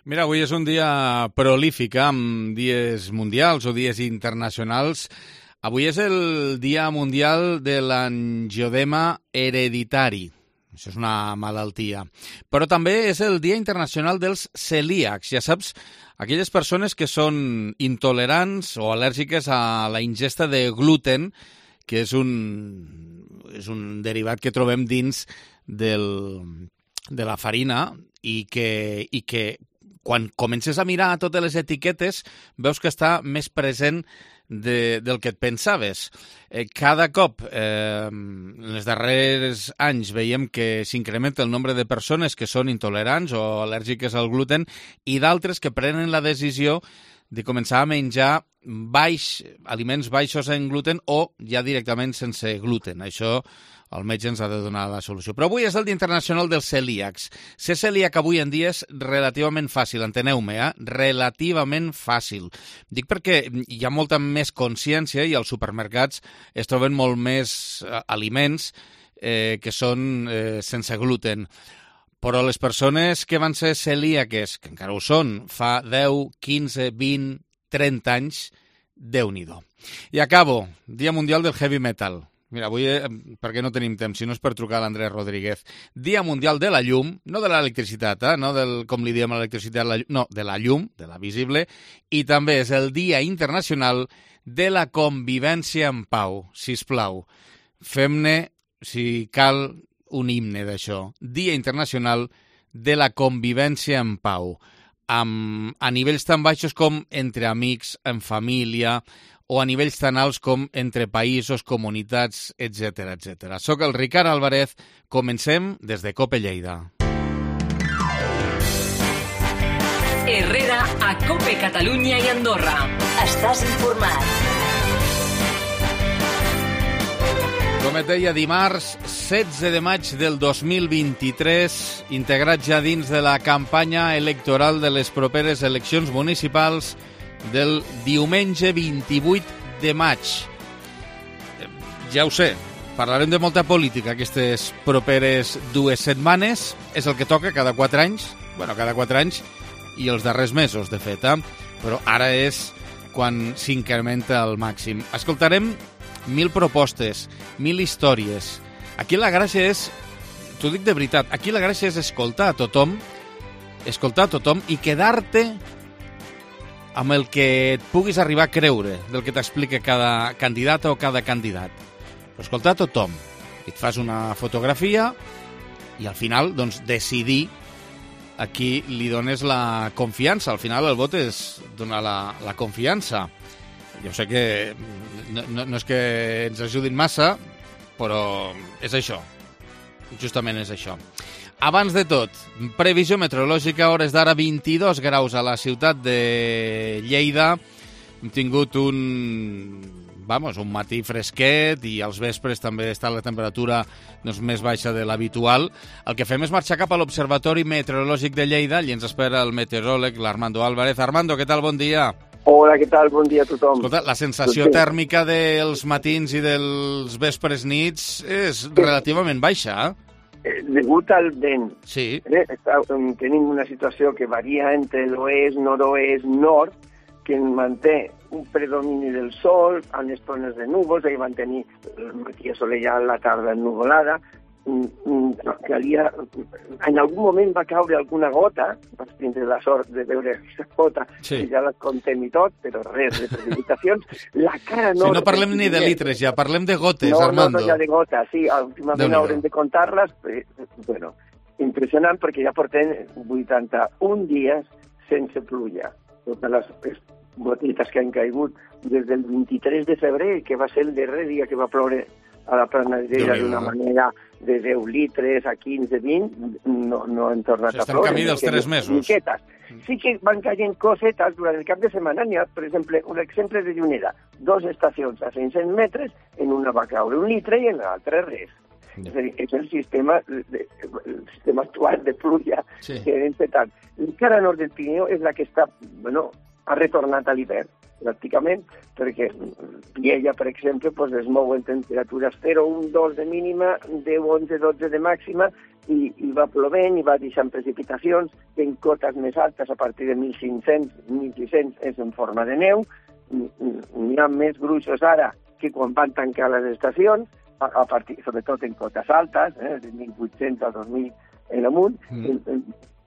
Mira, avui és un dia prolífic, amb dies mundials o dies internacionals. Avui és el Dia Mundial de l'Angiodema Hereditari. Això és una malaltia. Però també és el Dia Internacional dels Celíacs. Ja saps, aquelles persones que són intolerants o al·lèrgiques a la ingesta de gluten, que és un derivat que trobem dins de la farina i que quan comences a mirar totes les etiquetes veus que està més present del que et pensaves. Cada cop, en els darrers anys, veiem que s'incrementa el nombre de persones que són intolerants o al·lèrgiques al gluten i d'altres que prenen la decisió de començar a menjar aliments baixos en gluten o ja directament sense gluten. Això el metge ens ha de donar la solució. Però avui és el Dia Internacional dels Celíacs. Ser celíac avui en dia és relativament fàcil, enteneu-me, relativament fàcil. Dic perquè hi ha molta més consciència i als supermercats es troben molt més aliments que són sense gluten. Però les persones que van ser celíaques, que encara ho són, fa 10, 15, 20, 30 anys, Déu-n'hi-do. I acabo. Dia Mundial del Heavy Metal. Mira, avui, perquè no tenim temps, si no és per trucar a l'Andrés Rodríguez. Dia Mundial de la Llum, no de l'electricitat, no com li diem a l'electricitat, no, de la llum, de la visible, i també és el Dia Internacional de la Convivència en Pau. Sisplau, fem-ne, si cal, un himne d'això. Dia Internacional de la Convivència en Pau. A nivells tan baixos com entre amics, en família, o a nivells tan alts com entre països, comunitats, etc. etc. Soc el Ricard Álvarez. Comencem des de COPE Lleida. Herrera a COPE Catalunya i Andorra. Estàs informat. Com et deia, dimarts 16 de maig del 2023, integrat ja dins de la campanya electoral de les properes eleccions municipals del diumenge 28 de maig. Ja ho sé, parlarem de molta política aquestes properes 2 setmanes. És el que toca cada 4 anys. Bueno, cada 4 anys i els darrers mesos, de fet. Però ara és quan s'incrementa al màxim. Escoltarem 1000 propostes, 1000 històries. Aquí la gràcia és, t'ho dic de veritat, aquí la gràcia és escoltar a tothom i quedar-te amb el que et puguis arribar a creure del que t'explica cada candidata o cada candidat. Però escoltar a tothom. Et fas una fotografia i al final, doncs, decidir a qui li dones la confiança. Al final el vot és donar la confiança. Jo sé que no és que ens ajudin massa, però és això. Justament és això. Abans de tot, previsió meteorològica, hores d'ara 22 graus a la ciutat de Lleida. Hem tingut un matí fresquet i als vespres també està la temperatura més baixa de l'habitual. El que fem és marxar cap a l'Observatori Meteorològic de Lleida. Allí ens espera el meteoròleg, l'Armando Álvarez. Armando, què tal? Bon dia. Hola, què tal? Bon dia a tothom. Escolta, la sensació tèrmica dels matins i dels vespres nits és relativament baixa, Degut al vent. Sí. Tenim una situació que varia entre l'oest, nord-oest, nord, que manté un predomini del sol, a les zones de núvols, ahir van tenir el matí assolellat, la tarda ennuvolada. En algun moment va caure alguna gota, vas tindre la sort de veure aquesta gota, sí. Que ja la contem i tot, però res de precipitacions. La cara nord... Si no parlem ni de litres, ja parlem de gotes, Armando. No, ja de gotes, sí, últimament haurem de comptar-les. Bueno, impressionant perquè ja portem 81 dies sense pluja. Totes les gotites que han caigut des del 23 de febrer, que va ser el darrer dia que va ploure a la Pernadera d'una manera de 10 litres a 15, 20, no han tornat a ploure. Estem camí dels 3 mesos. Miquetes. Sí que van caient cosetes durant el cap de setmana. N'hi ha, per exemple, un exemple de Juneda. 2 estacions a 500 metres, en una va caure 1 litre i en l'altra res. És a dir, és el sistema actual de pluja que hem fetat. El cara nord del Pirineu és la que està, ha retornat a l'hivern, pràcticament, perquè Lleida, per exemple, es mou en temperatures 0, 1, 2 de mínima, 10, 11, 12 de màxima, i va plovent i va deixant precipitacions que en cotes més altes, a partir de 1.500, 1.600, és en forma de neu. N'hi ha més gruixos ara que quan van tancar les estacions, a partir, sobretot en cotes altes, de 1.800 a 2.000 en amunt,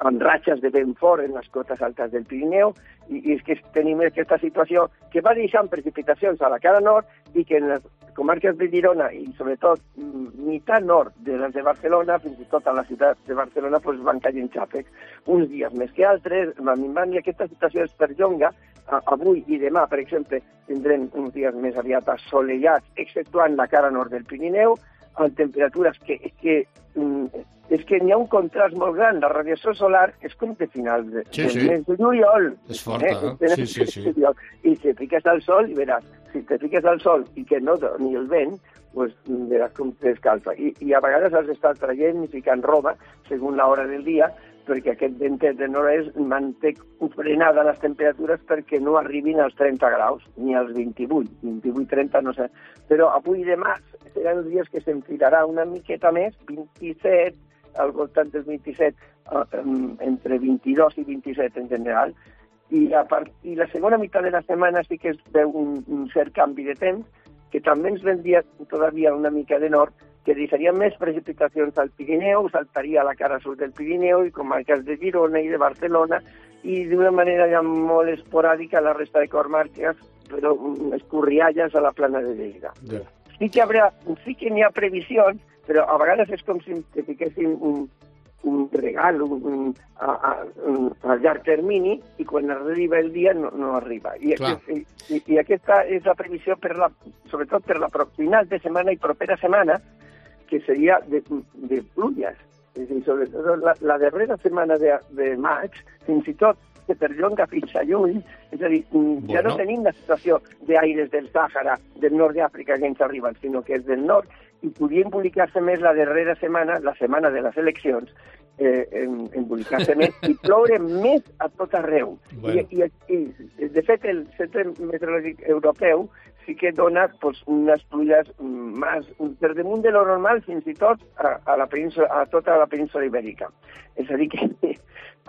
amb ratxes de vent fort en les cotes altes del Pirineu, i és que tenim aquesta situació que va deixant precipitacions a la cara nord i que en les comarques de Girona i sobretot meitat nord de les de Barcelona, fins i tot a la ciutat de Barcelona, doncs van caient xàfecs, uns dies més que altres, van minvant, i aquesta situació es perllonga. Avui i demà, per exemple, tindrem uns dies més aviat assolellats, exceptuant la cara nord del Pirineu, amb temperatures que és que n'hi ha un contrast molt gran. La radiació solar és com de final del mes de juliol. És forta, sí. I si te fiques al sol, i veràs, si te fiques al sol i que no ni el vent, pues veràs com t'escalfa. I a vegades has d'estar traient i ficant roba, segons l'hora del dia, perquè aquest ventet de nord-est manté frenada les temperatures perquè no arribin als 30 graus, ni als 28-30, no sé. Però avui i demà seran els dies que s'enfilarà una miqueta més, 27, al voltant dels 27, entre 22 i 27 en general, i la segona meitat de la setmana sí que es veu un cert canvi de temps, que també ens vendria todavía una mica de nord, que deixaria més precipitacions al Pirineu, saltaria a la cara sud del Pirineu i comarques de Girona i de Barcelona, i d'una manera ja molt esporàdica a la resta de comarques, però escorrialles a la plana de Lleida. Yeah. Sí que n'hi ha previsions, però a vegades és com si te fiquessin un regal a llarg termini, i quan arriba el dia no arriba. I aquesta és la previsió, sobretot per la final de setmana i propera setmana, que seria de pluges. És a dir, sobretot la darrera setmana de maig, fins i tot que perllonga fins a juny, és a dir, ja no tenim la situació d'aires del Sàhara, del nord d'Àfrica, que ens arriben, sinó que és del nord, i podria embolicar-se més la darrera setmana, la setmana de les eleccions, embolicar-se més i ploure més a tot arreu. Bueno. I de fet, el Centre Meteorològic Europeu sí que dona unes pluges per damunt de lo normal, fins i tot a tota la península ibèrica. És a dir, que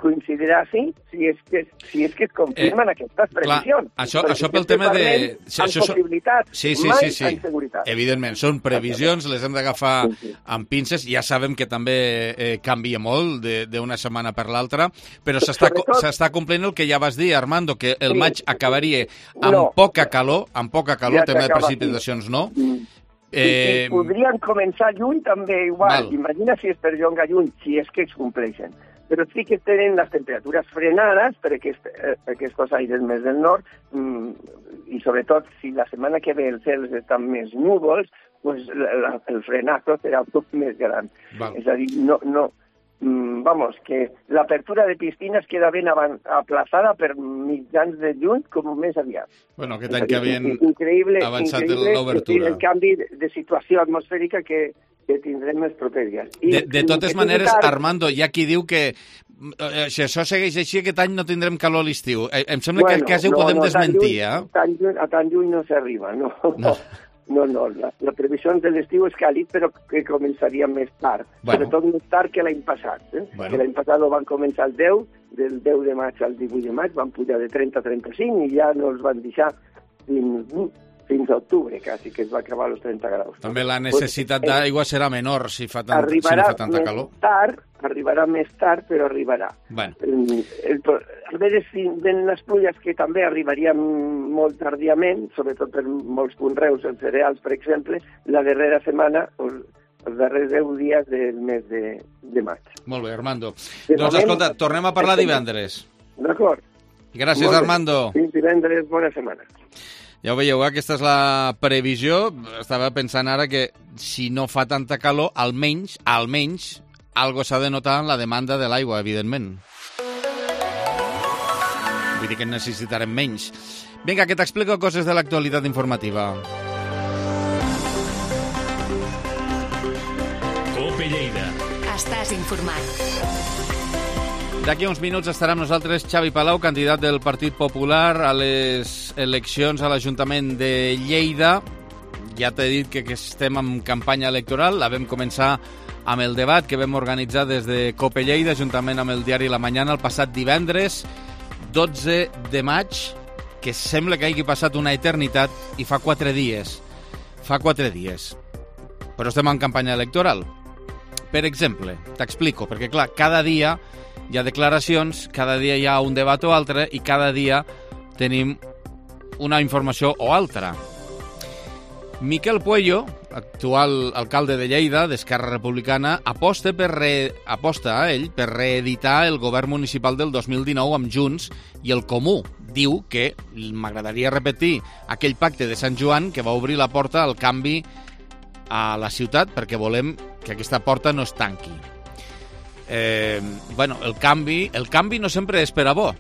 coincidirà si és que es confirmen aquestes previsions. Clar, això pel tema de... Amb possibilitats, mai amb seguretat. Evidentment, són previsions, les hem d'agafar amb pinces. Ja sabem que també canvia molt d'una setmana per l'altra, però s'està complint el que ja vas dir, Armando, que el maig acabaria amb poca calor, tema de precipitacions, no? I podrien començar juny també igual. Imagina si es perllonga juny, si és que es compleixen. Però sí que tenen les temperatures frenades per aquests aires més del nord, i sobretot si la setmana que ve els cels estan més núvols, pues el frenazo serà tot més gran. És a dir, vamos, que l'apertura de piscines queda ben aplaçada per mitjans de juny com més aviat. Bueno, aquest any que havien avançat l'obertura. El canvi de situació atmosfèrica que tindrem els propers dies. De totes maneres, Armando, hi ha qui diu que si això segueix així, aquest any no tindrem calor a l'estiu. Em sembla que quasi ho podem desmentir, eh? A tant lluny no s'arriba, no. No, la previsió de l'estiu és càlid, però que començaria més tard. Sobretot més tard que l'any passat. Que l'any passat van començar el 10, del 10 de maig al 18 de maig, van pujar de 30 a 35 i ja no els van deixar fins a octubre, quasi, que es va acabar als 30 graus. També la necessitat d'aigua serà menor si fa tanta calor. Arribarà més tard, però arribarà. Bueno. A veure si ven les pluges, que també arribarien molt tardíament, sobretot per molts conreus, els cereals, per exemple, la darrera setmana, els darrers 10 dies del mes de maig. Molt bé, Armando. Doncs escolta, tornem a parlar divendres. D'acord. Gràcies, Armando. Fins divendres, bona setmana. Ja ho veieu, aquesta és la previsió. Estava pensant ara que si no fa tanta calor, almenys, algo s'ha de notar en la demanda de l'aigua, evidentment. Vull dir que en necessitarem menys. Vinga, que t'explico coses de l'actualitat informativa. COPE Lleida. Estàs informat. D'aquí a uns minuts estarà amb nosaltres Xavi Palau, candidat del Partit Popular a les eleccions a l'Ajuntament de Lleida. Ja t'he dit que estem en campanya electoral, la vam començar amb el debat que vam organitzar des de Cope Lleida, juntament amb el diari La Mañana, el passat divendres, 12 de maig, que sembla que hagi passat una eternitat, i fa 4 dies. Fa 4 dies. Però estem en campanya electoral. Per exemple, t'explico, perquè clar, cada dia hi ha declaracions, cada dia hi ha un debat o altre, i cada dia tenim una informació o altra. Miquel Puello, actual alcalde de Lleida, d'Esquerra Republicana, aposta a ell per reeditar el govern municipal del 2019 amb Junts i el Comú. Diu que m'agradaria repetir aquell pacte de Sant Joan que va obrir la porta al canvi a la ciutat perquè volem que aquesta porta no es tanqui. El canvi no sempre és per a bo,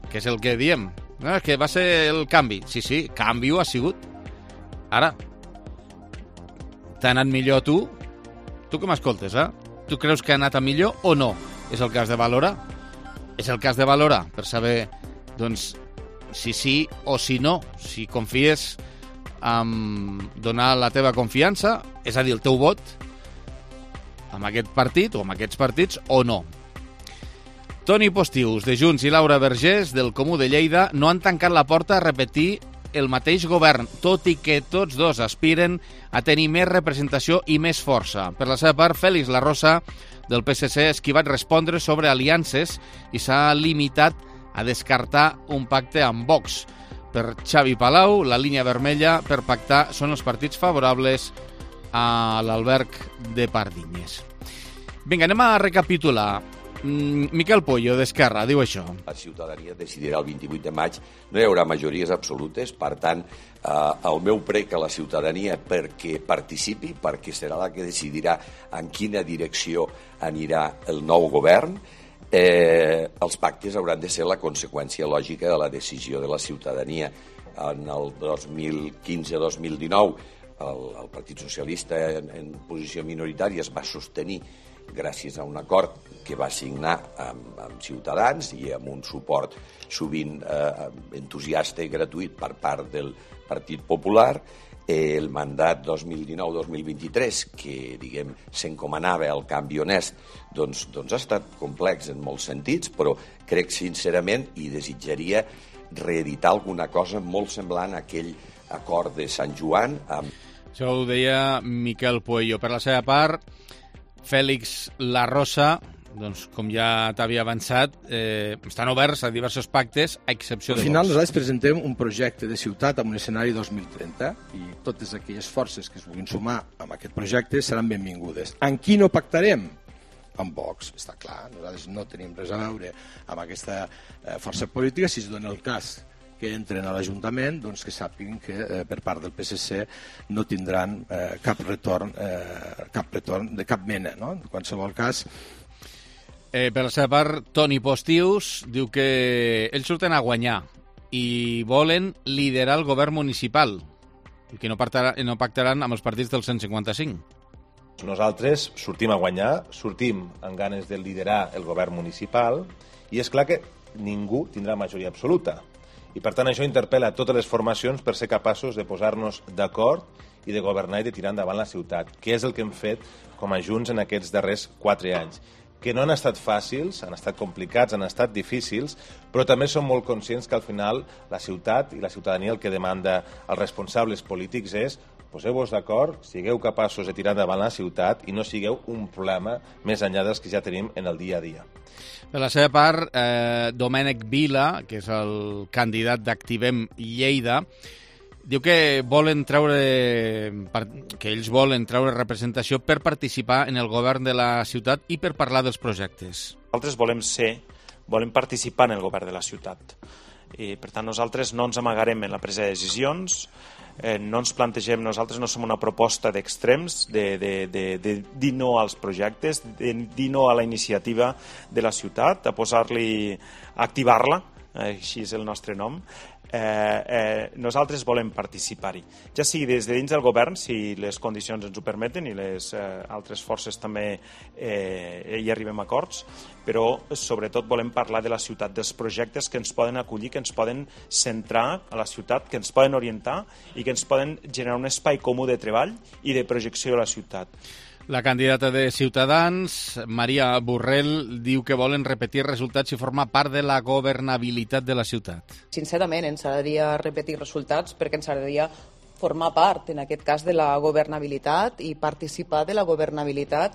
que és el que diem. No, és que va ser el canvi. Sí, canvi ho ha sigut. Ara, t'ha anat millor a tu? Tu que m'escoltes, Tu creus que ha anat a millor o no? És el que has de valorar? És el que has de valorar per saber, doncs, si sí o si no, si confies en donar la teva confiança, és a dir, el teu vot, amb aquest partit o amb aquests partits o no. Toni Postius, de Junts, i Laura Vergés, del Comú de Lleida, no han tancat la porta a repetir el mateix govern, tot i que tots dos aspiren a tenir més representació i més força. Per la seva part, Félix Larrosa, del PSC, ha esquivat respondre sobre aliances i s'ha limitat a descartar un pacte amb Vox. Per Xavi Palau, la línia vermella per pactar són els partits favorables a l'alberg de Pardinyes. Vinga, anem a recapitular. Miquel Puello, d'Esquerra, diu això. La ciutadania decidirà el 28 de maig, no hi haurà majories absolutes, per tant, el meu prec a la ciutadania perquè participi, perquè serà la que decidirà en quina direcció anirà el nou govern. Els pactes hauran de ser la conseqüència lògica de la decisió de la ciutadania. En el 2015-2019, el Partit Socialista en posició minoritària es va sostenir gràcies a un acord que va signar amb Ciutadans i amb un suport sovint entusiasta i gratuït per part del Partit Popular. El mandat 2019-2023, que diguem s'encomanava al canvi honest, doncs ha estat complex en molts sentits, però crec sincerament i desitjaria reeditar alguna cosa molt semblant a aquell acord de Sant Joan. Això ho deia Miquel Puello. Per la seva part, Félix Larrosa, doncs, com ja t'havia avançat, estan oberts a diversos pactes, a excepció de Vox. Al final nosaltres presentem un projecte de ciutat amb un escenari 2030 i totes aquelles forces que es vulguin sumar amb aquest projecte seran benvingudes. En qui no pactarem? Amb Vox, està clar. Nosaltres no tenim res a veure amb aquesta força política. Si es dona el cas que entren a l'Ajuntament, doncs que sàpiguen que per part del PSC no tindran cap retorn de cap mena, no? En qualsevol cas. Per la seva part, Toni Postius diu que ells surten a guanyar i volen liderar el govern municipal i que no pactaran amb els partits del 155. Nosaltres sortim a guanyar, sortim amb ganes de liderar el govern municipal i és clar que ningú tindrà majoria absoluta. I per tant això interpel·la a totes les formacions per ser capaços de posar-nos d'acord i de governar i de tirar endavant la ciutat, que és el que hem fet com a Junts en aquests darrers 4 anys. Que no han estat fàcils, han estat complicats, han estat difícils, però també som molt conscients que al final la ciutat i la ciutadania el que demanda als responsables polítics és poseu-vos d'acord, sigueu capaços de tirar endavant la ciutat i no sigueu un problema més enllà dels que ja tenim en el dia a dia. Per la seva part, Domènec Vila, que és el candidat d'Activem Lleida, diu que ells volen treure representació per participar en el govern de la ciutat i per parlar dels projectes. Nosaltres volem participar en el govern de la ciutat. I, per tant, nosaltres no ens amagarem en la presa de decisions, no ens plantegem, nosaltres no som una proposta d'extrems, de dir no als projectes, de dir no a la iniciativa de la ciutat, a activar-la, així és el nostre nom. Nosaltres volem participar-hi, ja sigui des de dins del govern, si les condicions ens ho permeten i les altres forces també hi arribem a acords, però sobretot volem parlar de la ciutat, dels projectes que ens poden acollir, que ens poden centrar a la ciutat, que ens poden orientar i que ens poden generar un espai comú de treball i de projecció a la ciutat. La candidata de Ciutadans, Maria Borrell, diu que volen repetir resultats i formar part de la governabilitat de la ciutat. Sincerament, ens agradaria repetir resultats perquè ens agradaria formar part, en aquest cas, de la governabilitat i participar de la governabilitat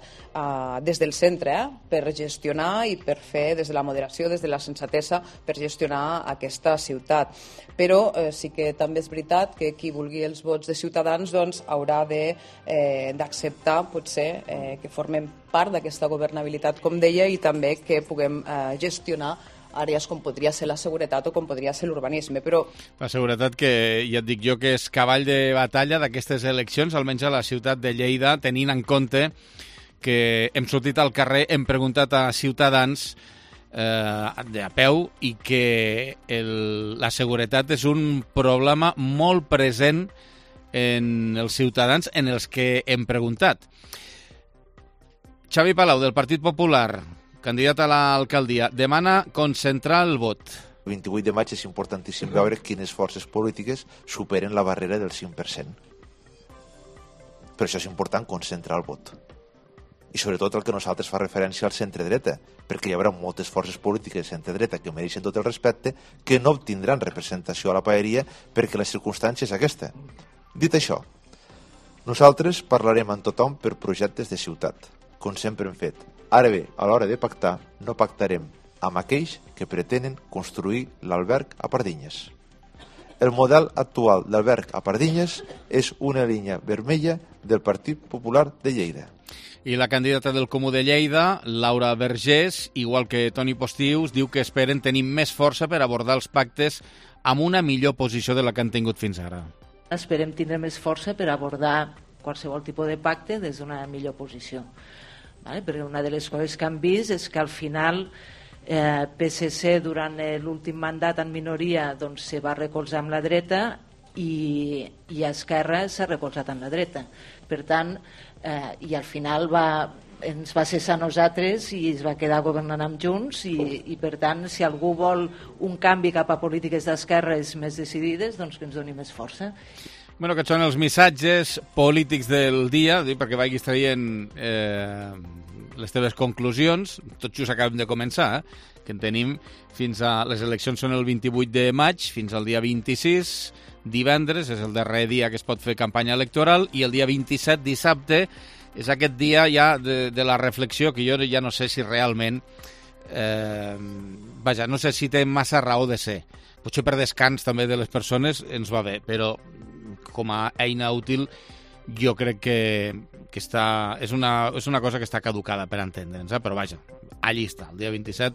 des del centre, per gestionar i per fer des de la moderació, des de la sensatesa, per gestionar aquesta ciutat. Però sí que també és veritat que qui vulgui els vots de Ciutadans doncs, haurà d'acceptar, potser, que formem part d'aquesta governabilitat, com deia, i també que puguem gestionar àrees com podria ser la seguretat o com podria ser l'urbanisme, però... La seguretat que, ja et dic jo, que és cavall de batalla d'aquestes eleccions, almenys a la ciutat de Lleida, tenint en compte que hem sortit al carrer, hem preguntat a ciutadans a peu i que la seguretat és un problema molt present en els ciutadans en els que hem preguntat. Xavi Palau, del Partit Popular, candidat a l'alcaldia, demana concentrar el vot. El 28 de maig és importantíssim veure quines forces polítiques superen la barrera del 5%. Per això és important concentrar el vot. I sobretot el que nosaltres fa referència al centre-dreta, perquè hi haurà moltes forces polítiques centre-dreta que mereixen tot el respecte, que no obtindran representació a la paeria perquè la circumstància és aquesta. Dit això, nosaltres parlarem amb tothom per projectes de ciutat, com sempre hem fet. Ara bé, a l'hora de pactar, no pactarem amb aquells que pretenen construir l'alberg a Pardinyes. El model actual d'alberg a Pardinyes és una línia vermella del Partit Popular de Lleida. I la candidata del Comú de Lleida, Laura Vergés, igual que Toni Postius, diu que esperen tenir més força per abordar els pactes amb una millor posició de la que han tingut fins ara. Esperem tindre més força per abordar qualsevol tipus de pacte des d'una millor posició. Perquè una de les coses que han vist és que al final PSC durant l'últim mandat en minoria doncs, se va recolzar amb la dreta i Esquerra s'ha recolzat amb la dreta. Per tant, i al final ens va cessar a nosaltres i es va quedar governant amb Junts i per tant, si algú vol un canvi cap a polítiques d'esquerres més decidides, doncs que ens doni més força. Bueno, aquests són els missatges polítics del dia, perquè vagis traient les teves conclusions. Tot just acabem de començar, que en tenim fins a... Les eleccions són el 28 de maig, fins al dia 26, divendres, és el darrer dia que es pot fer campanya electoral, i el dia 27, dissabte, és aquest dia ja de la reflexió, que jo ja no sé si realment... no sé si té massa raó de ser. Potser per descans també de les persones ens va bé, però com a eina útil jo crec que és una cosa que està caducada per entendre'ns, però vaja, allí està, el dia 27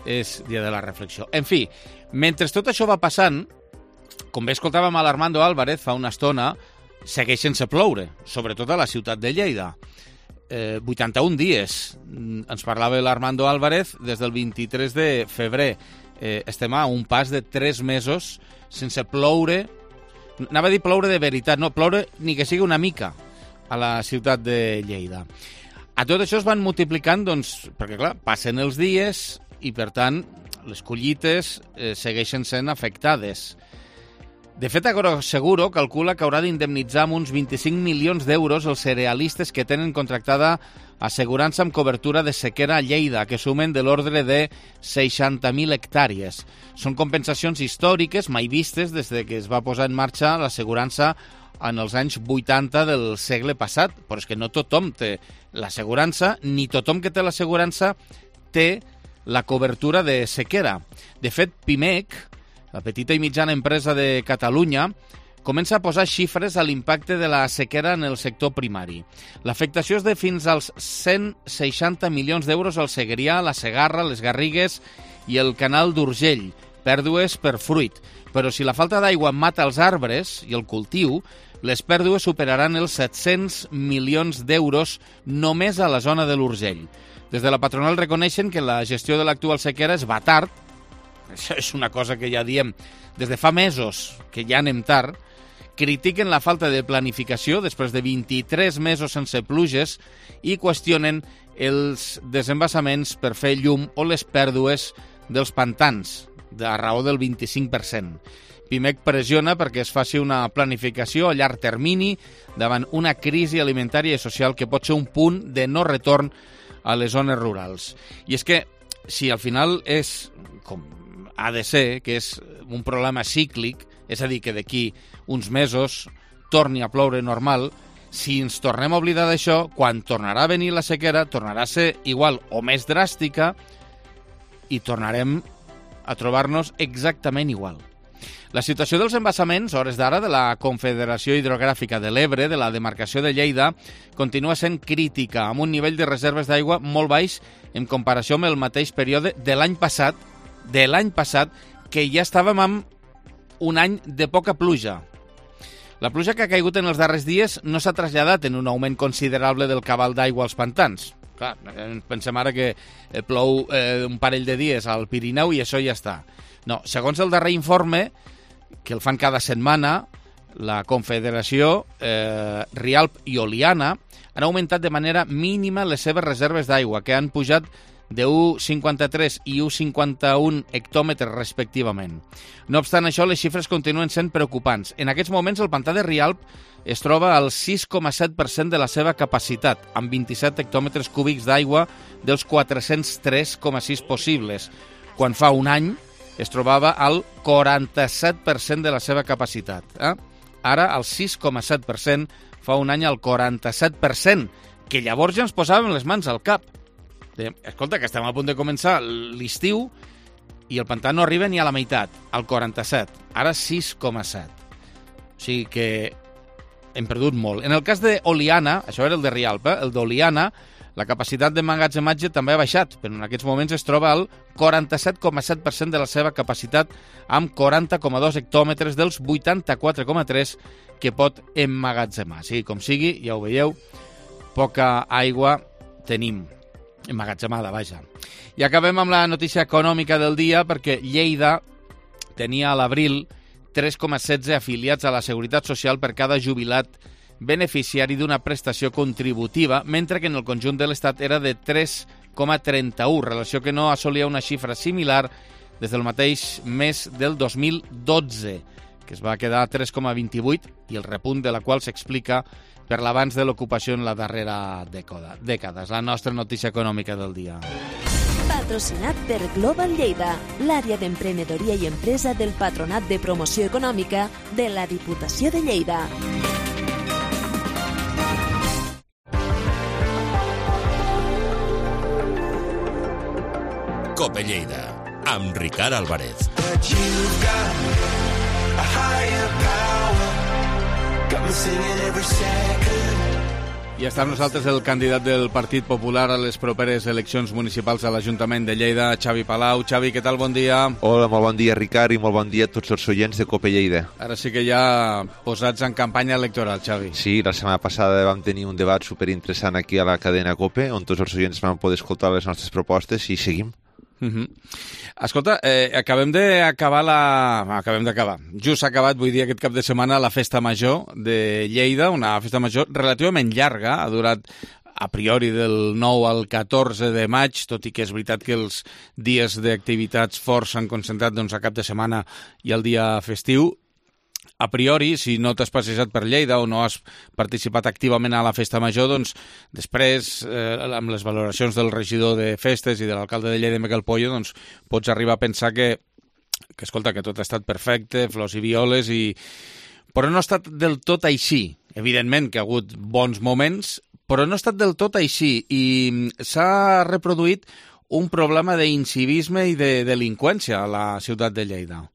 és dia de la reflexió. En fi, mentre tot això va passant, com bé escoltàvem a l'Armando Álvarez fa una estona, segueix sense ploure, sobretot a la ciutat de Lleida. 81 dies, ens parlava l'Armando Álvarez des del 23 de febrer. Estem a un pas de 3 mesos sense ploure. Anava a dir ploure de veritat, no, ploure ni que sigui una mica a la ciutat de Lleida. A tot això es van multiplicant, doncs, perquè clar, passen els dies i per tant les collites segueixen sent afectades. De fet, Agroseguro calcula que haurà d'indemnitzar amb uns 25 milions d'euros els cerealistes que tenen contractada assegurança amb cobertura de sequera a Lleida, que sumen de l'ordre de 60.000 hectàrees. Són compensacions històriques mai vistes des que es va posar en marxa l'assegurança en els anys 80 del segle passat, però és que no tothom té l'assegurança, ni tothom que té l'assegurança té la cobertura de sequera. De fet, Pimec, la petita i mitjana empresa de Catalunya, comença a posar xifres a l'impacte de la sequera en el sector primari. L'afectació és de fins als 160 milions d'euros al Segrià, la Segarra, les Garrigues i el canal d'Urgell, pèrdues per fruit. Però si la falta d'aigua mata els arbres i el cultiu, les pèrdues superaran els 700 milions d'euros només a la zona de l'Urgell. Des de la patronal reconeixen que la gestió de l'actual sequera es va tard. Això és una cosa que ja diem des de fa mesos, que ja anem tard. Critiquen la falta de planificació després de 23 mesos sense pluges i qüestionen els desembassaments per fer llum o les pèrdues dels pantans, a raó del 25%. Pimec pressiona perquè es faci una planificació a llarg termini davant una crisi alimentària i social que pot ser un punt de no retorn a les zones rurals. I és que si al final és, com ha de ser, que és un problema cíclic, és a dir, que d'aquí uns mesos torni a ploure normal, si ens tornem a oblidar d'això, quan tornarà a venir la sequera, tornarà a ser igual o més dràstica i tornarem a trobar-nos exactament igual. La situació dels embassaments, a hores d'ara, de la Confederació Hidrogràfica de l'Ebre, de la demarcació de Lleida, continua sent crítica, amb un nivell de reserves d'aigua molt baix en comparació amb el mateix període de l'any passat, que ja estàvem amb un any de poca pluja. La pluja que ha caigut en els darrers dies no s'ha traslladat en un augment considerable del cabal d'aigua als pantans. Clar, pensem ara que plou un parell de dies al Pirineu i això ja està. No, segons el darrer informe, que el fan cada setmana, la Confederació, Rialp i Oliana han augmentat de manera mínima les seves reserves d'aigua, que han pujat de 1,53 i 1,51 hectòmetres respectivament. No obstant això, les xifres continuen sent preocupants. En aquests moments, el pantà de Rialp es troba al 6,7% de la seva capacitat, amb 27 hectòmetres cúbics d'aigua dels 403,6 possibles, quan fa un any es trobava al 47% de la seva capacitat. Ara, al 6,7%, fa un any al 47%, que llavors ja ens posàvem les mans al cap. Escolta, que estem a punt de començar l'estiu i el pantà no arriba ni a la meitat, al 47. Ara 6,7. O sigui que hem perdut molt. En el cas d'Oliana, això era el de Rialp, el d'Oliana, la capacitat d'emmagatzematge també ha baixat, però en aquests moments es troba al 47,7% de la seva capacitat, amb 40,2 hectòmetres dels 84,3 que pot emmagatzemar. Sí, com sigui, ja ho veieu, poca aigua tenim emmagatzemada, vaja. I acabem amb la notícia econòmica del dia, perquè Lleida tenia a l'abril 3,16 afiliats a la Seguretat Social per cada jubilat beneficiari d'una prestació contributiva, mentre que en el conjunt de l'Estat era de 3,31, relació que no assolia una xifra similar des del mateix mes del 2012, que es va quedar a 3,28, i el repunt de la qual s'explica per l'avanç de l'ocupació en la darrera dècada. És la nostra notícia econòmica del dia. Patrocinat per Global Lleida, l'àrea d'emprenedoria i empresa del Patronat de Promoció Econòmica de la Diputació de Lleida. Cope Lleida, amb Ricard Álvarez. I està amb nosaltres el candidat del Partit Popular a les properes eleccions municipals a l'Ajuntament de Lleida, Xavi Palau. Xavi, què tal? Bon dia. Hola, molt bon dia, Ricard, i molt bon dia a tots els oients de Cope Lleida. Ara sí que ja posats en campanya electoral, Xavi. Sí, la setmana passada vam tenir un debat superinteressant aquí a la cadena Cope, on tots els oients van poder escoltar les nostres propostes i seguim. Escolta, acabem d'acabar. Just s'ha acabat, vull dir, aquest cap de setmana la Festa Major de Lleida, una festa major relativament llarga, ha durat a priori del 9 al 14 de maig, tot i que és veritat que els dies d'activitats forts s'han concentrat a cap de setmana i el dia festiu. A priori, si no t'has passejat per Lleida o no has participat activament a la Festa Major, doncs després, amb les valoracions del regidor de festes i de l'alcalde de Lleida, Miquel Pollo, doncs pots arribar a pensar que escolta, que tot ha estat perfecte, flors i violes, però no ha estat del tot així. Evidentment que ha hagut bons moments, però no ha estat del tot així i s'ha reproduït un problema d'incivisme i de delinqüència a la ciutat de Lleida.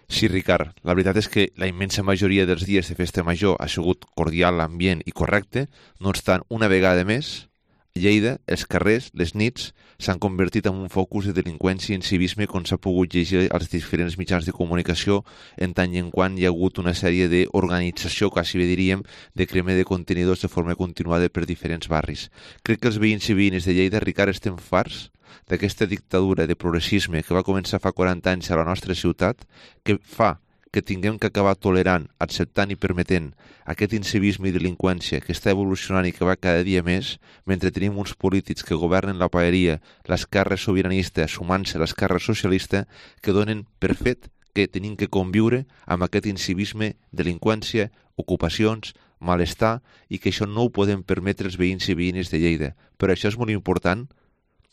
Sí, Ricard, la veritat és que la immensa majoria dels dies de festa major ha sigut cordial, ambient i correcte, no obstant, una vegada més, Lleida, els carrers, les nits, s'han convertit en un focus de delinqüència i incivisme com s'ha pogut llegir als diferents mitjans de comunicació en tant i en quant hi ha hagut una sèrie d'organització, quasi bé diríem, de crema de contenidors de forma continuada per diferents barris. Crec que els veïns i veïnes de Lleida, Ricard, estem farts d'aquesta dictadura de progressisme que va començar fa 40 anys a la nostra ciutat, que fa que tinguem que acabar tolerant, acceptant i permetent aquest incivisme i delinqüència que està evolucionant i que va cada dia més, mentre tenim uns polítics que governen la paeria, l'esquerra sobiranista, sumant-se a l'esquerra socialista, que donen per fet que tenim que conviure amb aquest incivisme, delinqüència, ocupacions, malestar, i que això no ho podem permetre els veïns i veïnes de Lleida. Però això és molt important,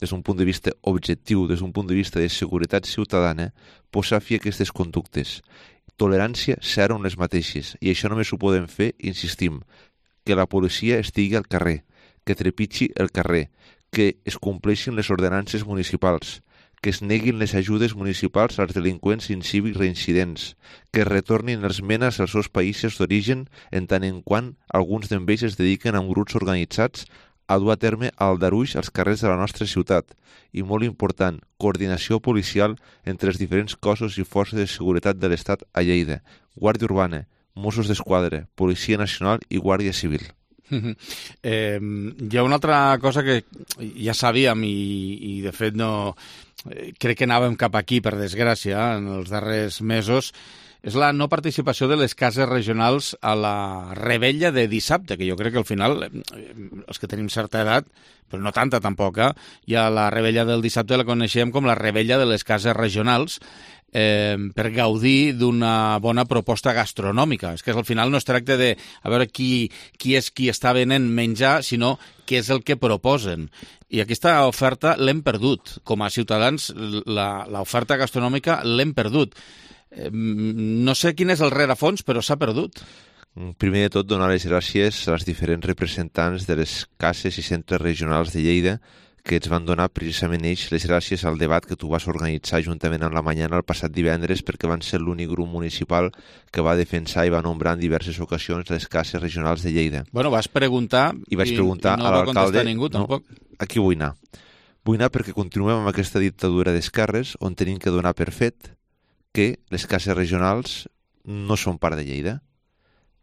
des d'un punt de vista objectiu, des d'un punt de vista de seguretat ciutadana, posar fi a aquestes conductes. Tolerància zero en les mateixes, i això només ho podem fer, insistim, que la policia estigui al carrer, que trepitgi el carrer, que es compleixin les ordenances municipals, que es neguin les ajudes municipals als delinqüents incívics reincidents, que es retornin els menes als seus països d'origen en tant en quant alguns d'ells es dediquen a grups organitzats a dur a terme aldarulls als carrers de la nostra ciutat. I molt important, coordinació policial entre els diferents cossos i forces de seguretat de l'Estat a Lleida, Guàrdia Urbana, Mossos d'Esquadra, Policia Nacional i Guàrdia Civil. Hi ha una altra cosa que ja sabíem i de fet no crec que anàvem cap aquí, per desgràcia, en els darrers mesos, és la no participació de les cases regionals a la rebella de dissabte, que jo crec que al final, els que tenim certa edat, però no tanta tampoc, ja la rebella del dissabte la coneixem com la rebella de les cases regionals, per gaudir d'una bona proposta gastronòmica. És que al final no es tracta de a veure qui és qui està venent menjar, sinó què és el que proposen. I aquesta oferta l'hem perdut. Com a ciutadans, l'oferta gastronòmica l'hem perdut. No sé quin és el rerefons, però s'ha perdut. Primer de tot, donar les gràcies als diferents representants de les cases i centres regionals de Lleida que ens van donar precisament ells les gràcies al debat que tu vas organitzar juntament amb la Mañana el passat divendres, perquè van ser l'únic grup municipal que va defensar i va nombrar en diverses ocasions les cases regionals de Lleida. Bueno, vas preguntar i vaig preguntar no a va l'alcalde... contestar ningú, tampoc. No, aquí vull anar. Vull anar perquè continuem amb aquesta dictadura d'esquerres on tenim que donar per fet que les cases regionals no són part de Lleida.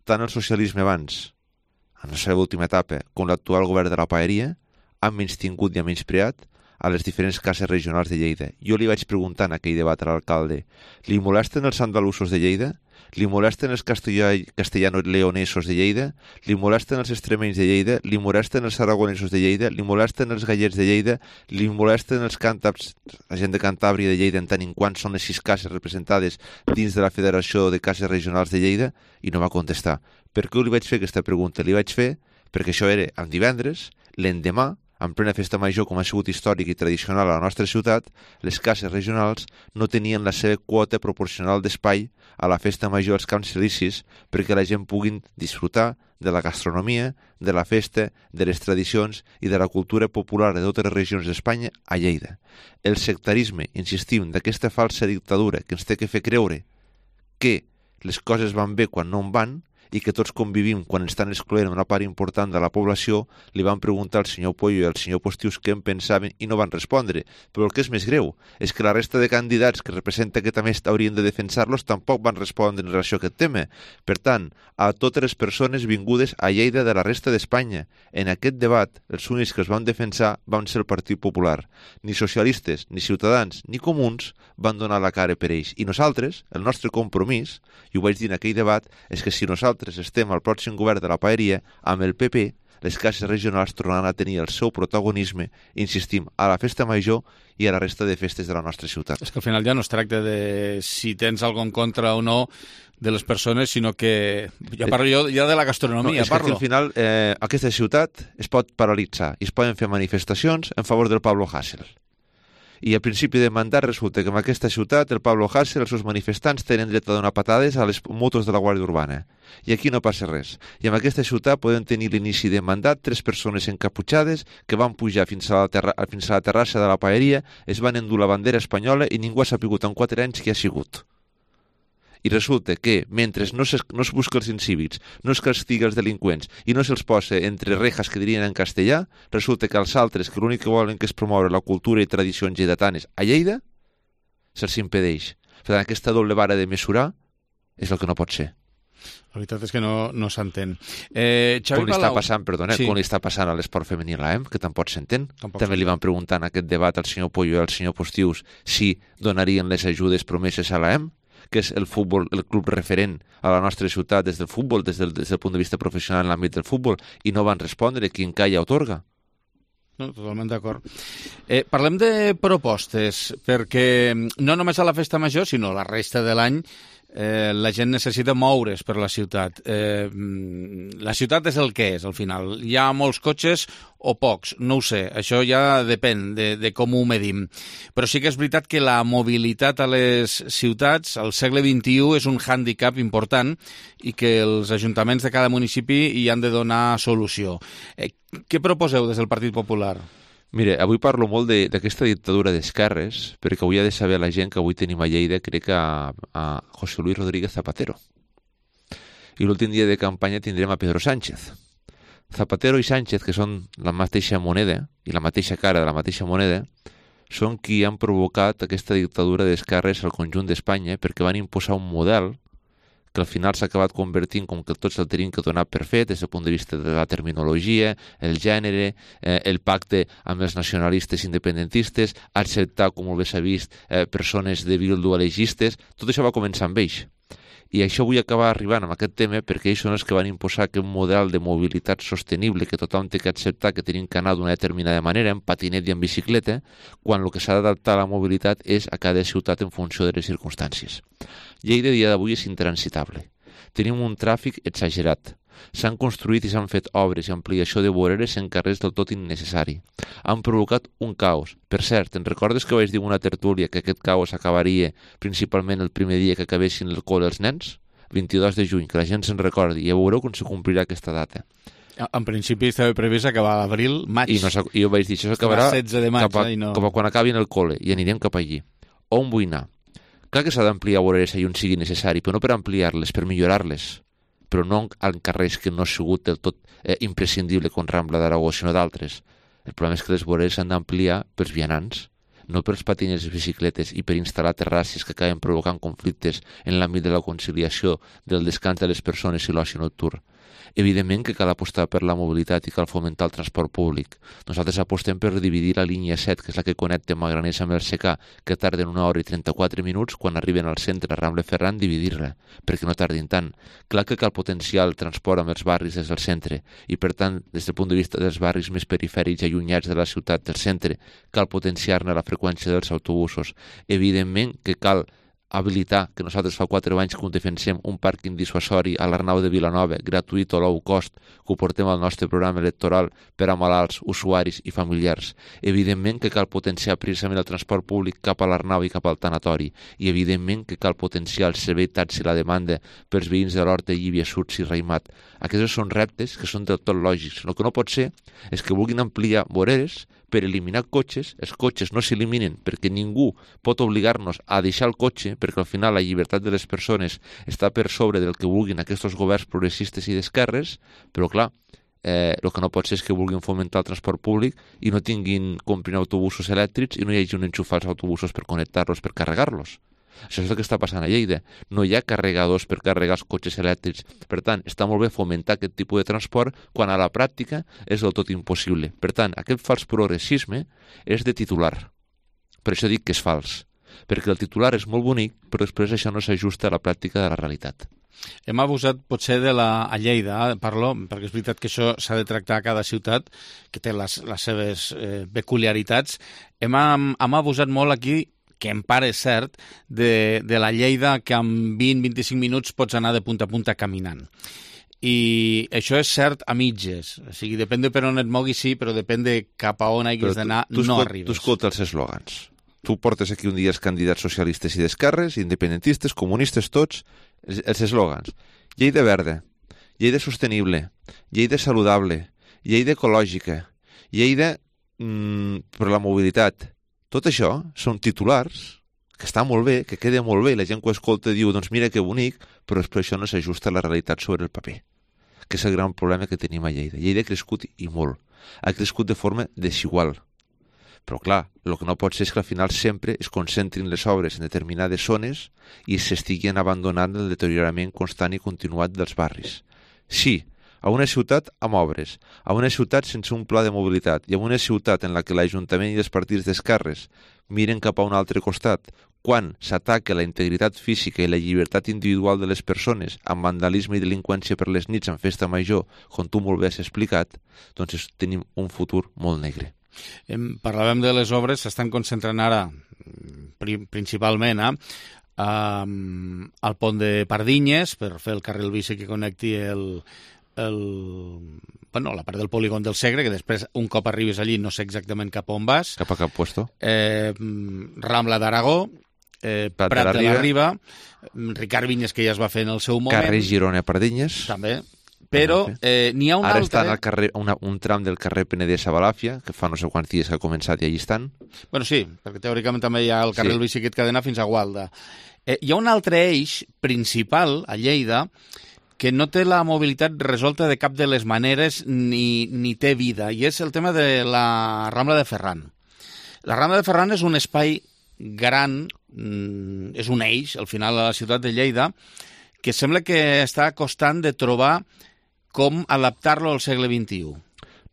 Tant el socialisme abans, en la seva última etapa, com l'actual govern de la Paeria, han menystingut i han menyspreat a les diferents cases regionals de Lleida. Jo li vaig preguntar en aquell debat a l'alcalde, li molesten els andalusos de Lleida? Li molesten els castellano-leonesos de Lleida? Li molesten els extremenys de Lleida? Li molesten els aragonesos de Lleida? Li molesten els gallets de Lleida? Li molesten els càntabrs, la gent de Cantàbria de Lleida, en tant en quant són les 6 cases representades dins de la Federació de Cases Regionals de Lleida? I no va contestar. Per què li vaig fer aquesta pregunta? Li vaig fer perquè això era el divendres, l'endemà, en plena festa major, com ha sigut històric i tradicional a la nostra ciutat, les cases regionals no tenien la seva quota proporcional d'espai a la festa major als Camps Elisis perquè la gent puguin disfrutar de la gastronomia, de la festa, de les tradicions i de la cultura popular de totes les regions d'Espanya a Lleida. El sectarisme, insistim, d'aquesta falsa dictadura que ens té que fer creure que les coses van bé quan no en van, i que tots convivim quan estan excloent una part important de la població, li van preguntar al senyor Pollo i al senyor Postius què en pensaven i no van respondre. Però el que és més greu és que la resta de candidats que representa que també haurien de defensar-los tampoc van respondre en relació a aquest tema. Per tant, a totes les persones vingudes a Lleida de la resta d'Espanya, en aquest debat, els únics que els van defensar van ser el Partit Popular. Ni socialistes, ni ciutadans, ni comuns van donar la cara per ells. I nosaltres, el nostre compromís, i ho vaig dir en aquell debat, és que si nosaltres estem al pròxim govern de la Paeria, amb el PP, les cases regionals tornaran a tenir el seu protagonisme, insistim, a la festa major i a la resta de festes de la nostra ciutat. És que al final ja no es tracta de si tens alguna en contra o no de les persones, sinó que ja parlo jo ja de la gastronomia. No, és que al final aquesta ciutat es pot paralitzar i es poden fer manifestacions en favor del Pablo Hasél. I al principi de mandat resulta que en aquesta ciutat el Pablo Hasél, els seus manifestants, tenen dret a donar patades a les motos de la Guàrdia Urbana. I aquí no passa res. I en aquesta ciutat podem tenir l'inici de mandat 3 persones encaputxades que van pujar fins a la terrassa de la Paeria, es van endur la bandera espanyola i ningú ha sapigut en 4 anys qui ha sigut. I resulta que, mentre no es busca els incívics, no es castiga els delinqüents i no se'ls posa entre rejas que dirien en castellà, resulta que els altres, que l'únic que volen que es promoure la cultura i tradicions lleidatanes a Lleida, se'ls impedeix. Per tant, aquesta doble vara de mesurar és el que no pot ser. La veritat és que no s'entén. Com li està passant, com li està passant a l'esport femení a l'AEM, que tampoc s'entén. També li van preguntar en aquest debat al senyor Pollo i al senyor Postius si donarien les ajudes promeses a l'AEM, que és el futbol, el club referent a la nostra ciutat des del futbol, des del punt de vista professional en l'àmbit del futbol, i no van respondre qui en calla otorga. No, totalment d'acord. Parlem de propostes, perquè no només a la festa major, sinó la resta de l'any, la gent necessita moure's per la ciutat. La ciutat és el que és, al final. Hi ha molts cotxes o pocs, no ho sé. Això ja depèn de com ho medim. Però sí que és veritat que la mobilitat a les ciutats al segle XXI és un hàndicap important i que els ajuntaments de cada municipi hi han de donar solució. Què proposeu des del Partit Popular? Mire, avui parlo molt d'aquesta dictadura d'esquerres, perquè avui ha de saber la gent que avui tenim a Lleida, crec que a José Luis Rodríguez Zapatero. I l'últim dia de campanya tindrem a Pedro Sánchez. Zapatero i Sánchez, que són la mateixa moneda i la mateixa cara de la mateixa moneda, són qui han provocat aquesta dictadura d'esquerres al conjunt d'Espanya perquè van imposar un model que al final s'ha acabat convertint com que tots el tenim que donar per fet des del punt de vista de la terminologia, el gènere, el pacte amb els nacionalistes independentistes, acceptar, com molt bé s'ha vist, persones de Bildu alegistes. Tot això va començar amb ells. I això vull acabar arribant amb aquest tema perquè ells són els que van imposar aquest model de mobilitat sostenible que tothom té que acceptar que tenim que anar d'una determinada manera, en patinet i en bicicleta, quan el que s'ha d'adaptar a la mobilitat és a cada ciutat en funció de les circumstàncies. Lleida a dia d'avui és intransitable. Tenim un tràfic exagerat. S'han construït i s'han fet obres i ampliació de voreres en carrers del tot innecessari. Han provocat un caos. Per cert, te'n recordes que vaig dir una tertúlia que aquest caos acabaria principalment el primer dia que acabessin el col·le els nens? 22 de juny, que la gent se'n recordi, i ja veureu com se complirà aquesta data. En principi estava previst acabar a l'abril, maig. I jo vaig dir, això s'acabarà cap a quan acabin el col·le, i anirem cap allí. On vull anar? Clar que s'ha d'ampliar voreres allà on sigui necessari, però no per ampliar-les, per millorar-les, però no en carrers que no ha sigut del tot imprescindible com Rambla d'Aragó, sinó d'altres. El problema és que les voreres s'han d'ampliar pels vianants, no pels patinets i bicicletes i per instal·lar terrasses que acaben provocant conflictes en l'àmbit de la conciliació del descans de les persones i l'oci nocturn. Evidentment que cal apostar per la mobilitat i cal fomentar el transport públic. Nosaltres apostem per dividir la línia 7, que és la que connecta Magraners amb el Secà, que tarden 1 hora i 34 minuts, quan arriben al centre a Rambla Ferran, dividir-la, perquè no tardin tant. Clar que cal potenciar el transport amb els barris des del centre, i per tant, des del punt de vista dels barris més perifèrics i allunyats de la ciutat del centre, cal potenciar-ne la freqüència dels autobusos. Evidentment que cal habilitar, que nosaltres fa 4 anys que ho defensem, un pàrquing dissuasori a l'Arnau de Vilanova, gratuït o low cost, que ho portem al nostre programa electoral per a malalts, usuaris i familiars. Evidentment que cal potenciar precisament el transport públic cap a l'Arnau i cap al tanatori. I evidentment que cal potenciar el servei taxi i la demanda pels veïns de l'Horta, Llívia, Surts i Raïmat. Aquests són reptes que són del tot lògics. El que no pot ser és que vulguin ampliar voreres per eliminar cotxes. Els cotxes no s'eliminen perquè ningú pot obligar-nos a deixar el cotxe, perquè al final la llibertat de les persones està per sobre del que vulguin aquests governs progressistes i d'esquerres, però clar, el que no pot ser és que vulguin fomentar el transport públic i no comprin autobusos elèctrics i no hi hagi un enxufar als autobusos per connectar-los, per carregar-los. Això és el que està passant a Lleida. No hi ha carregadors per carregar els cotxes elèctrics. Per tant, està molt bé fomentar aquest tipus de transport quan a la pràctica és del tot impossible. Per tant, aquest fals progressisme és de titular. Per això dic que és fals. Perquè el titular és molt bonic, però després això no s'ajusta a la pràctica de la realitat. Hem abusat potser a Lleida, parlo, perquè és veritat que això s'ha de tractar a cada ciutat, que té les seves peculiaritats. Hem abusat molt aquí, que en part és cert, de la Lleida que en 20-25 minuts pots anar de punta a punta caminant. I això és cert a mitges. O sigui, depèn de per on et moguis, sí, però depèn de cap a on hagis d'anar, no arribes. Tu escolta els eslògans. Tu portes aquí un dia els candidats socialistes i d'esquerres, independentistes, comunistes, tots, els eslògans. Lleida verda, Lleida sostenible, Lleida saludable, Lleida ecològica, Lleida per la mobilitat. Tot això són titulars que està molt bé, que queda molt bé, i la gent que ho escolta diu, doncs mira que bonic, però després això no s'ajusta a la realitat sobre el paper, que és el gran problema que tenim a Lleida. Lleida ha crescut i molt. Ha crescut de forma desigual. Però clar, el que no pot ser és que al final sempre es concentrin les obres en determinades zones i s'estiguin abandonant el deteriorament constant i continuat dels barris. Sí, a una ciutat amb obres, a una ciutat sense un pla de mobilitat i a una ciutat en la que l'Ajuntament i els partits d'esquerres miren cap a un altre costat, quan s'ataca la integritat física i la llibertat individual de les persones amb vandalisme i delinqüència per les nits en festa major, com tu molt bé has explicat, doncs tenim un futur molt negre. Parlàvem de les obres, s'estan concentrant ara principalment al pont de Pardinyes per fer el carril bici que connecti la part del polígon del Segre, que després, un cop arribes allí, no sé exactament cap on vas. Cap a cap puesto. Rambla d'Aragó, Prat de la Riba, Ricard Vinyes, que ja es va fer en el seu moment. Carrer Girona Pardinyes. També. Però n'hi ha un Ara altre... està al carrer, un tram del carrer Penedès a Balàfia, que fa no sé quants dies que ha començat i allí estan. Bueno, sí, perquè teòricament també hi ha el carril bici que et cadena fins a Gualda. Hi ha un altre eix principal a Lleida que no té la mobilitat resolta de cap de les maneres ni té vida, i és el tema de la Rambla de Ferran. La Rambla de Ferran és un espai gran, és un eix, al final, a la ciutat de Lleida, que sembla que està costant de trobar com adaptar-lo al segle XXI.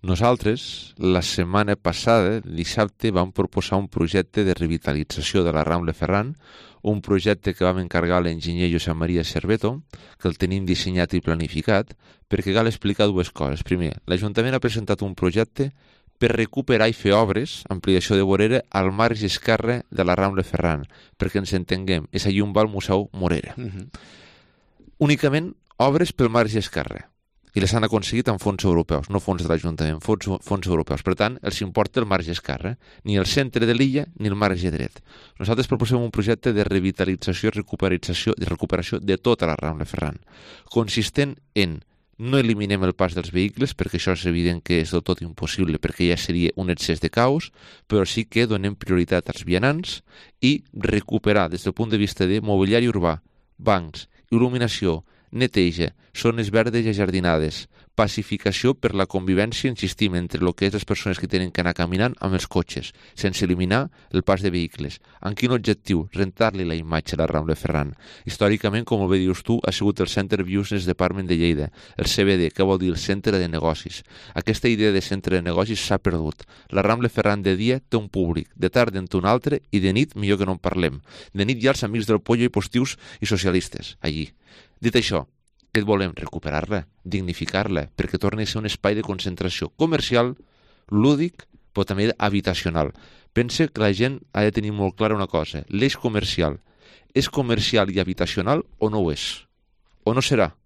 Nosaltres, la setmana passada, dissabte, vam proposar un projecte de revitalització de la Rambla Ferran, un projecte que vam encarregar a l'enginyer Josep Maria Cerveto, que el tenim dissenyat i planificat, perquè cal explicar dues coses. Primer, l'Ajuntament ha presentat un projecte per recuperar i fer obres, ampliació de vorera, al marge esquerre de la Rambla Ferran, perquè ens entenguem, és allí on va el Museu Morera. Únicament obres pel marge esquerre, i les han aconseguit amb fons europeus, no fons de l'Ajuntament, fons europeus. Per tant, els importa el marge esquerre, ni el centre de l'illa ni el marge dret. Nosaltres proposem un projecte de revitalització i recuperació de tota la Rambla Ferran, consistent en no eliminem el pas dels vehicles, perquè això és evident que és del tot impossible, perquè ja seria un excés de caos, però sí que donem prioritat als vianants i recuperar, des del punt de vista de mobiliari urbà, bancs, il·luminació, neteja, zones verdes i ajardinades, pacificació per la convivència, insistim, entre el que és les persones que tenen que anar caminant amb els cotxes, sense eliminar el pas de vehicles. Amb quin objectiu? Rentar-li la imatge a la Rambla Ferran. Històricament, com bé dius tu, ha sigut el Center Business Department de Lleida, el CBD, que vol dir el centre de negocis. Aquesta idea de centre de negocis s'ha perdut. La Rambla Ferran de dia té un públic, de tarda en té un altre, i de nit millor que no en parlem. De nit hi ha els amics del Pollo i postius i socialistes, allí. Dit això, què volem? Recuperar-la, dignificar-la, perquè torni a ser un espai de concentració comercial, lúdic, però també habitacional. Pense que la gent ha de tenir molt clara una cosa. L'eix comercial és comercial i habitacional o no ho és? O no serà?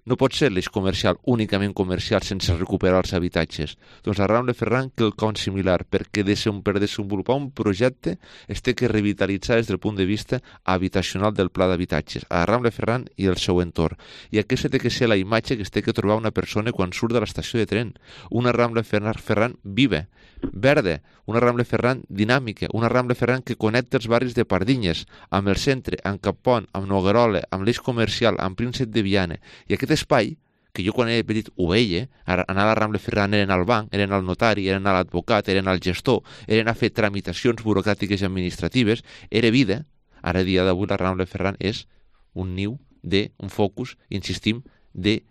No pot ser l'eix comercial únicament comercial sense recuperar els habitatges. Doncs la Rambla Ferran quelcom similar, perquè per desenvolupar un projecte es té que revitalitzar des del punt de vista habitacional del pla d'habitatges, a la Rambla Ferran i el seu entorn. I aquesta té que ser la imatge que es té que trobar una persona quan surt de l'estació de tren. Una Rambla Ferran viva, verda, una Rambla Ferran dinàmica, una Rambla Ferran que connecta els barris de Pardinyes amb el centre, amb Capont, amb Noguerola, amb l'eix comercial, amb Príncep de Viana. I aquest espai, que jo quan he petit ho veia, anar a la Rambla Ferran eren al banc, eren al notari, eren a l'advocat, eren al gestor, eren a fer tramitacions burocràtiques i administratives, era vida. Ara, a dia d'avui, la Rambla Ferran és un niu un focus, insistim, de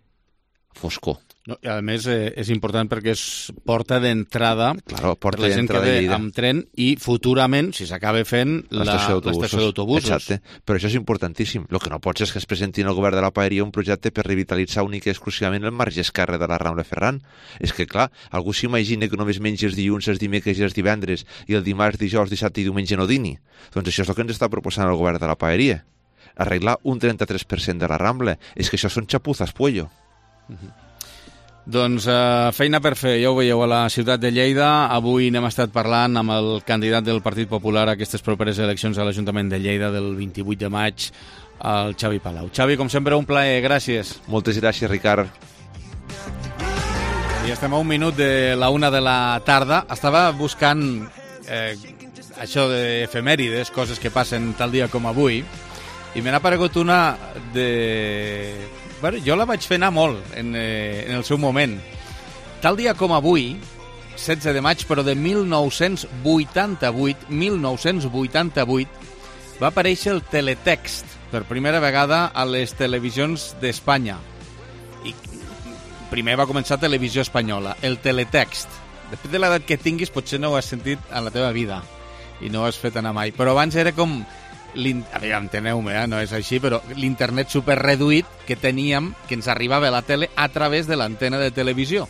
foscor. No, i a més és important perquè és porta d'entrada per la gent que ve amb tren i futurament, si s'acaba fent, l'estació d'autobusos. Exacte, però això és importantíssim. El que no pot ser és que es presenti al govern de la Paeria un projecte per revitalitzar únic i exclusivament el marge esquerre de la Rambla Ferran. És que, clar, algú s'imagina que només mengi els dilluns, els dimecres i els divendres i el dimarts, dijous, dissabte i diumenge no dini. Doncs això és el que ens està proposant el govern de la Paeria. Arreglar un 33% de la Rambla. És que això són xapuzas, pollo. Doncs feina per fer, ja ho veieu a la ciutat de Lleida. Avui n'hem estat parlant amb el candidat del Partit Popular a aquestes properes eleccions a l'Ajuntament de Lleida del 28 de maig, el Xavi Palau. Xavi, com sempre, un plaer, gràcies. Moltes gràcies, Ricard. I estem a un minut de la 1 de la tarda. Estava buscant això d'efemèrides, coses que passen tal dia com avui, i me n'ha aparegut una de... Bueno, jo la vaig fer anar molt en el seu moment. Tal dia com avui, 16 de maig, però de 1988, va aparèixer el teletext per primera vegada a les televisions d'Espanya. I primer va començar Televisió Espanyola, el teletext. Després de l'edat que tinguis, potser no ho has sentit en la teva vida i no ho has fet anar mai. Però abans era com... enteneu-me, no és així, però l'internet superreduït que teníem, que ens arribava a la tele a través de l'antena de televisió.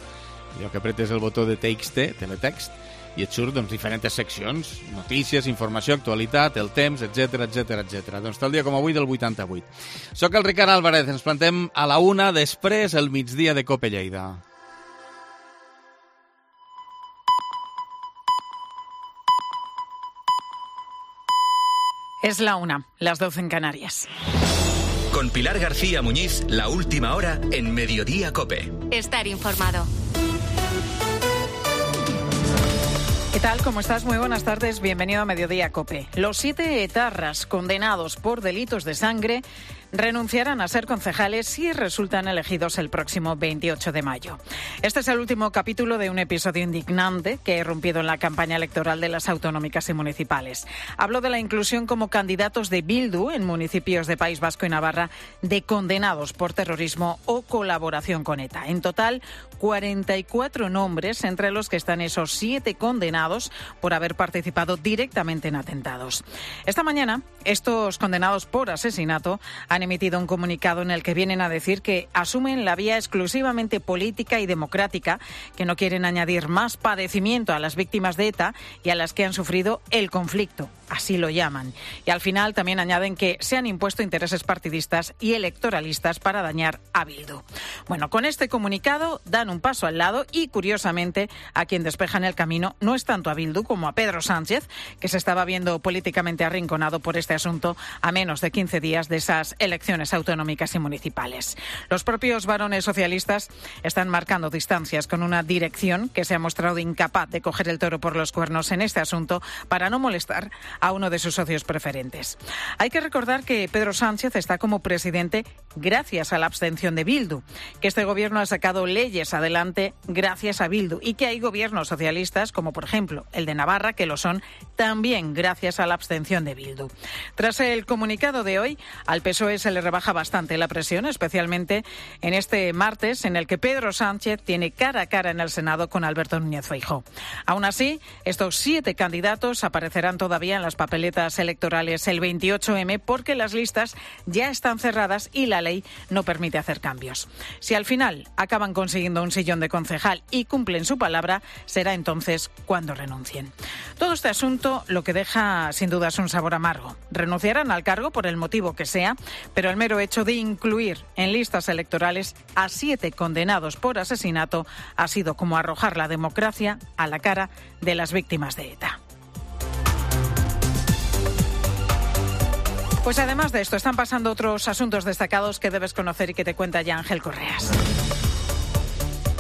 Allò que apretes el botó de TXT, teletext, i et surt diferents seccions, notícies, informació, actualitat, el temps, etc. Doncs tal dia com avui del 88. Soc el Ricard Álvarez, ens plantem a la 1, després el migdia de COPE Lleida. Es la 1, las 12 en Canarias. Con Pilar García Muñiz, la última hora en Mediodía COPE. Estar informado. ¿Qué tal? ¿Cómo estás? Muy buenas tardes. Bienvenido a Mediodía COPE. Los 7 etarras condenados por delitos de sangre renunciarán a ser concejales si resultan elegidos el próximo 28 de mayo. Este es el último capítulo de un episodio indignante que ha irrumpido en la campaña electoral de las autonómicas y municipales. Hablo de la inclusión como candidatos de Bildu en municipios de País Vasco y Navarra de condenados por terrorismo o colaboración con ETA. En total, 44 nombres, entre los que están esos 7 condenados por haber participado directamente en atentados. Esta mañana, estos condenados por asesinato han emitido un comunicado en el que vienen a decir que asumen la vía exclusivamente política y democrática, que no quieren añadir más padecimiento a las víctimas de ETA y a las que han sufrido el conflicto, así lo llaman. Y al final también añaden que se han impuesto intereses partidistas y electoralistas para dañar a Bildu. Bueno, con este comunicado dan un paso al lado y, curiosamente, a quien despejan el camino no es tanto a Bildu como a Pedro Sánchez, que se estaba viendo políticamente arrinconado por este asunto a menos de 15 días de esas elecciones autonómicas y municipales. Los propios varones socialistas están marcando distancias con una dirección que se ha mostrado incapaz de coger el toro por los cuernos en este asunto para no molestar a uno de sus socios preferentes. Hay que recordar que Pedro Sánchez está como presidente gracias a la abstención de Bildu, que este gobierno ha sacado leyes adelante gracias a Bildu y que hay gobiernos socialistas, como por ejemplo el de Navarra, que lo son también gracias a la abstención de Bildu. Tras el comunicado de hoy, al PSOE se le rebaja bastante la presión, especialmente en este martes en el que Pedro Sánchez tiene cara a cara en el Senado con Alberto Núñez Feijóo. Aún así, estos 7 candidatos aparecerán todavía en las papeletas electorales el 28M porque las listas ya están cerradas y la ley no permite hacer cambios. Si al final acaban consiguiendo un sillón de concejal y cumplen su palabra, será entonces cuando renuncien. Todo este asunto lo que deja sin duda es un sabor amargo. Renunciarán al cargo por el motivo que sea, pero el mero hecho de incluir en listas electorales a 7 condenados por asesinato ha sido como arrojar la democracia a la cara de las víctimas de ETA. Pues además de esto, están pasando otros asuntos destacados que debes conocer y que te cuenta ya Ángel Correas.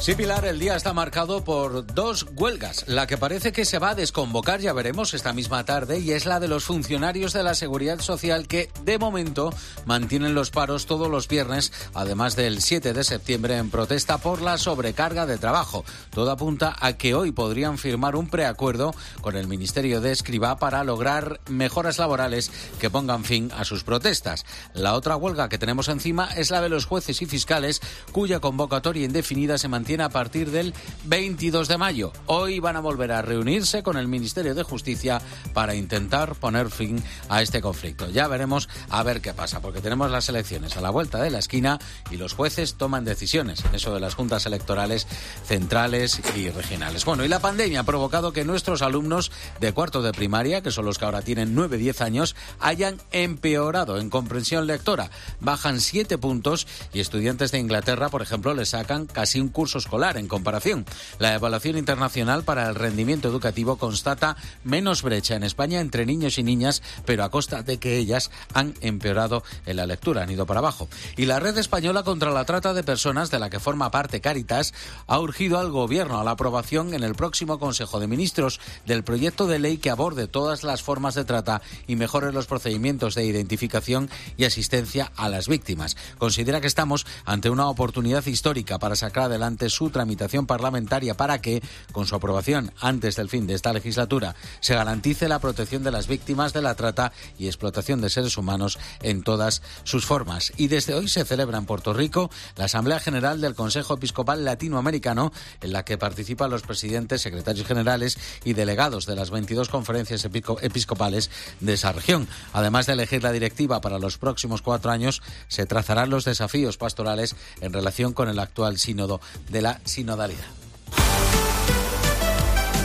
Sí, Pilar, el día está marcado por 2 huelgas. La que parece que se va a desconvocar, ya veremos, esta misma tarde, y es la de los funcionarios de la Seguridad Social que, de momento, mantienen los paros todos los viernes, además del 7 de septiembre, en protesta por la sobrecarga de trabajo. Todo apunta a que hoy podrían firmar un preacuerdo con el Ministerio de Escrivá para lograr mejoras laborales que pongan fin a sus protestas. La otra huelga que tenemos encima es la de los jueces y fiscales, cuya convocatoria indefinida se mantiene a partir del 22 de mayo. Hoy van a volver a reunirse con el Ministerio de Justicia para intentar poner fin a este conflicto. Ya veremos a ver qué pasa, porque tenemos las elecciones a la vuelta de la esquina y los jueces toman decisiones en eso de las juntas electorales centrales y regionales. Bueno, y la pandemia ha provocado que nuestros alumnos de cuarto de primaria, que son los que ahora tienen 9-10 años, hayan empeorado en comprensión lectora. Bajan 7 puntos y estudiantes de Inglaterra, por ejemplo, les sacan casi un curso escolar en comparación. La evaluación internacional para el rendimiento educativo constata menos brecha en España entre niños y niñas, pero a costa de que ellas han empeorado en la lectura, han ido para abajo. Y la Red Española contra la Trata de Personas, de la que forma parte Cáritas, ha urgido al Gobierno a la aprobación en el próximo Consejo de Ministros del proyecto de ley que aborde todas las formas de trata y mejore los procedimientos de identificación y asistencia a las víctimas. Considera que estamos ante una oportunidad histórica para sacar adelante su tramitación parlamentaria para que, con su aprobación antes del fin de esta legislatura, se garantice la protección de las víctimas de la trata y explotación de seres humanos en todas sus formas. Y desde hoy se celebra en Puerto Rico la Asamblea General del Consejo Episcopal Latinoamericano, en la que participan los presidentes, secretarios generales y delegados de las 22 conferencias episcopales de esa región. Además de elegir la directiva para los próximos 4 años, se trazarán los desafíos pastorales en relación con el actual sínodo de la sinodalidad.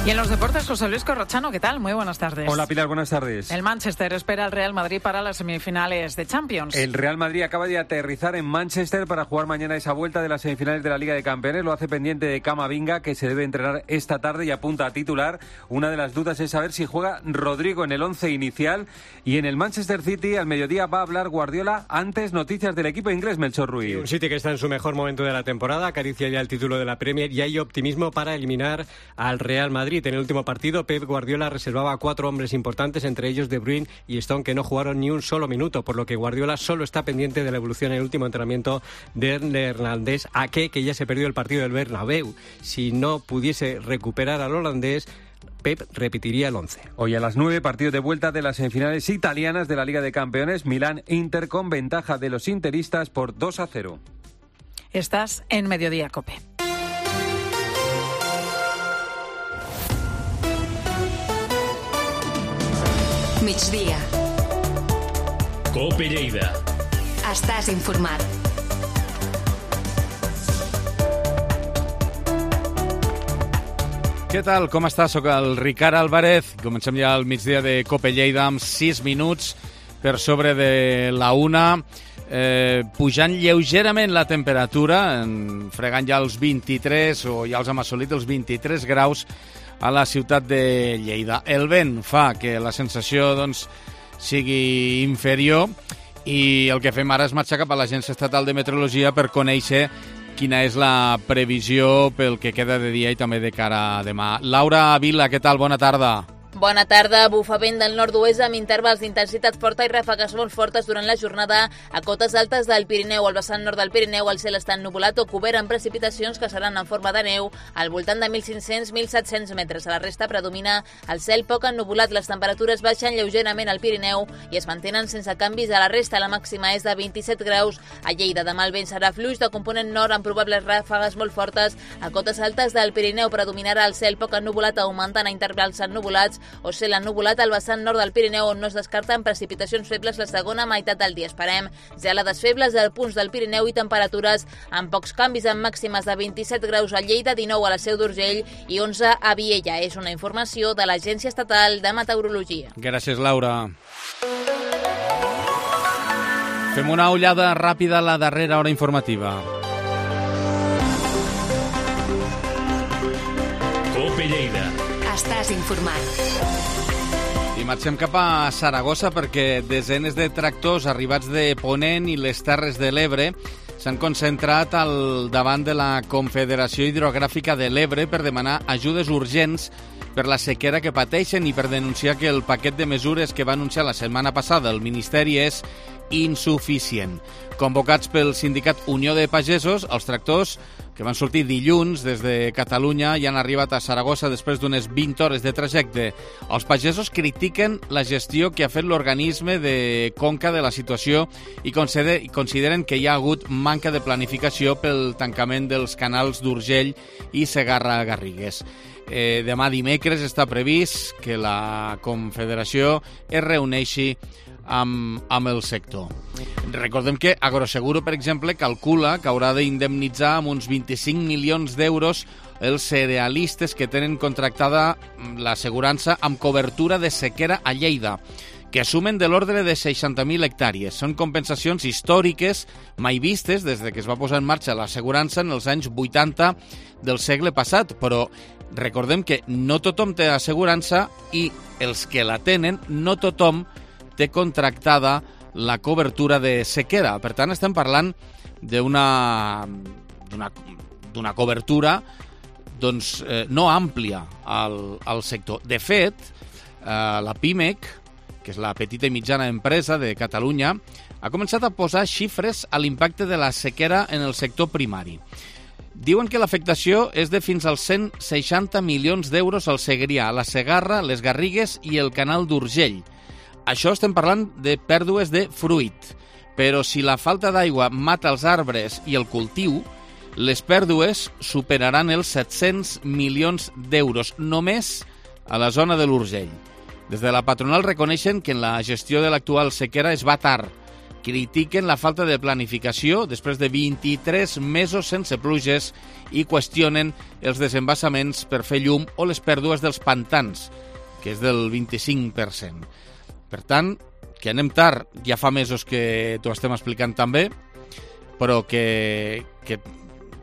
Y en los deportes, José Luis Corrochano, ¿qué tal? Muy buenas tardes. Hola Pilar, buenas tardes. El Manchester espera al Real Madrid para las semifinales de Champions. El Real Madrid acaba de aterrizar en Manchester para jugar mañana esa vuelta de las semifinales de la Liga de Campeones. Lo hace pendiente de Camavinga, que se debe entrenar esta tarde y apunta a titular. Una de las dudas es saber si juega Rodrigo en el 11 inicial. Y en el Manchester City, al mediodía, va a hablar Guardiola. Antes, noticias del equipo inglés, Melchor Ruiz. Un City que está en su mejor momento de la temporada, acaricia ya el título de la Premier y hay optimismo para eliminar al Real Madrid. En el último partido, Pep Guardiola reservaba a 4 hombres importantes, entre ellos De Bruyne y Stone, que no jugaron ni un solo minuto, por lo que Guardiola solo está pendiente de la evolución en el último entrenamiento del neerlandés Ake, que ya se perdió el partido del Bernabéu. Si no pudiese recuperar al holandés, Pep repetiría el 11. Hoy a las 9, partido de vuelta de las semifinales italianas de la Liga de Campeones. Milán-Inter con ventaja de los interistas por 2-0. Estás en Mediodía COPE. Migdia. COPE Lleida. Estàs informat. Què tal? Com està? Soc el Ricard Álvarez. Comencem ja el migdia de COPE Lleida amb 6 minuts per sobre de la 1. Pujant lleugerament la temperatura, fregant ja els 23 o ja els hem assolit els 23 graus a la ciutat de Lleida. El vent fa que la sensació sigui inferior i el que fem ara és marxar cap a l'Agència Estatal de Meteorologia per conèixer quina és la previsió pel que queda de dia i també de cara a demà. Laura Vila, què tal? Bona tarda. Bona tarda. Bufa vent del nord-oest amb intervals d'intensitat forta i ràfegues molt fortes durant la jornada a cotes altes del Pirineu. Al vessant nord del Pirineu el cel està ennuvolat o cobert amb precipitacions que seran en forma de neu al voltant de 1.500-1.700 metres. A la resta predomina el cel poc ennuvolat. Les temperatures baixen lleugerament al Pirineu i es mantenen sense canvis a la resta. La màxima és de 27 graus a Lleida. Demà el vent serà fluix de component nord amb probables ràfegues molt fortes a cotes altes del Pirineu. Predominarà el cel poc ennuvolat augmentant a intervals ennuvolats o cel ennuvolat al vessant nord del Pirineu, on no es descarten precipitacions febles la segona meitat del dia. Esperem gelades febles als punts del Pirineu i temperatures amb pocs canvis, amb màximes de 27 graus a Lleida, 19 a la Seu d'Urgell i 11 a Viella. És una informació de l'Agència Estatal de Meteorologia. Gràcies, Laura. Fem una ullada ràpida a la darrera hora informativa. COPE Lleida. Estàs informat. I marxem cap a Saragossa perquè desenes de tractors arribats de Ponent i les Terres de l'Ebre s'han concentrat al davant de la Confederació Hidrogràfica de l'Ebre per demanar ajudes urgents per la sequera que pateixen i per denunciar que el paquet de mesures que va anunciar la setmana passada el Ministeri és insuficient. Convocats pel sindicat Unió de Pagesos, els tractors que van sortir dilluns des de Catalunya i han arribat a Saragossa després d'unes 20 hores de trajecte. Els pagesos critiquen la gestió que ha fet l'organisme de Conca de la situació i consideren que hi ha hagut manca de planificació pel tancament dels canals d'Urgell i Segarra-Garrigues. Demà dimecres està previst que la Confederació es reuneixi amb el sector. Recordem que Agroseguro, per exemple, calcula que haurà d'indemnitzar amb uns 25 milions d'euros els cerealistes que tenen contractada l'assegurança amb cobertura de sequera a Lleida, que sumen de l'ordre de 60.000 hectàrees. Són compensacions històriques mai vistes des de que es va posar en marxa l'assegurança en els anys 80 del segle passat, però recordem que no tothom té assegurança i els que la tenen, no tothom té contractada la cobertura de sequera. Per tant, estem parlant d'una cobertura no àmplia al sector. De fet, la PIMEC, que és la petita i mitjana empresa de Catalunya, ha començat a posar xifres a l'impacte de la sequera en el sector primari. Diuen que l'afectació és de fins als 160 milions d'euros al Segrià, a la Segarra, les Garrigues i el canal d'Urgell. Això estem parlant de pèrdues de fruit, però si la falta d'aigua mata els arbres i el cultiu, les pèrdues superaran els 700 milions d'euros, només a la zona de l'Urgell. Des de la patronal reconeixen que en la gestió de l'actual sequera es va tard, critiquen la falta de planificació després de 23 mesos sense pluges i qüestionen els desembassaments per fer llum o les pèrdues dels pantans, que és del 25%. Per tant, que anem tard, ja fa mesos que t'ho estem explicant també, però que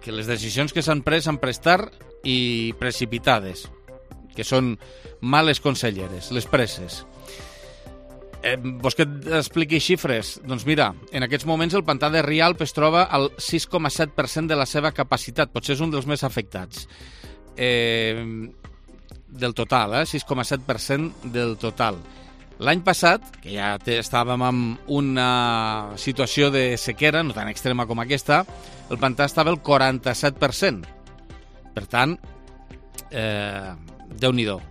les decisions que s'han pres tard i precipitades, que són males conselleres, les presses. Vols que et expliqui xifres? Doncs mira, en aquests moments el pantà de Rialp es troba al 6,7% de la seva capacitat, potser és un dels més afectats. Del total, 6,7% del total. L'any passat, que ja estàvem en una situació de sequera, no tan extrema com aquesta, el pantà estava al 47%. Per tant, Déu-n'hi-do. O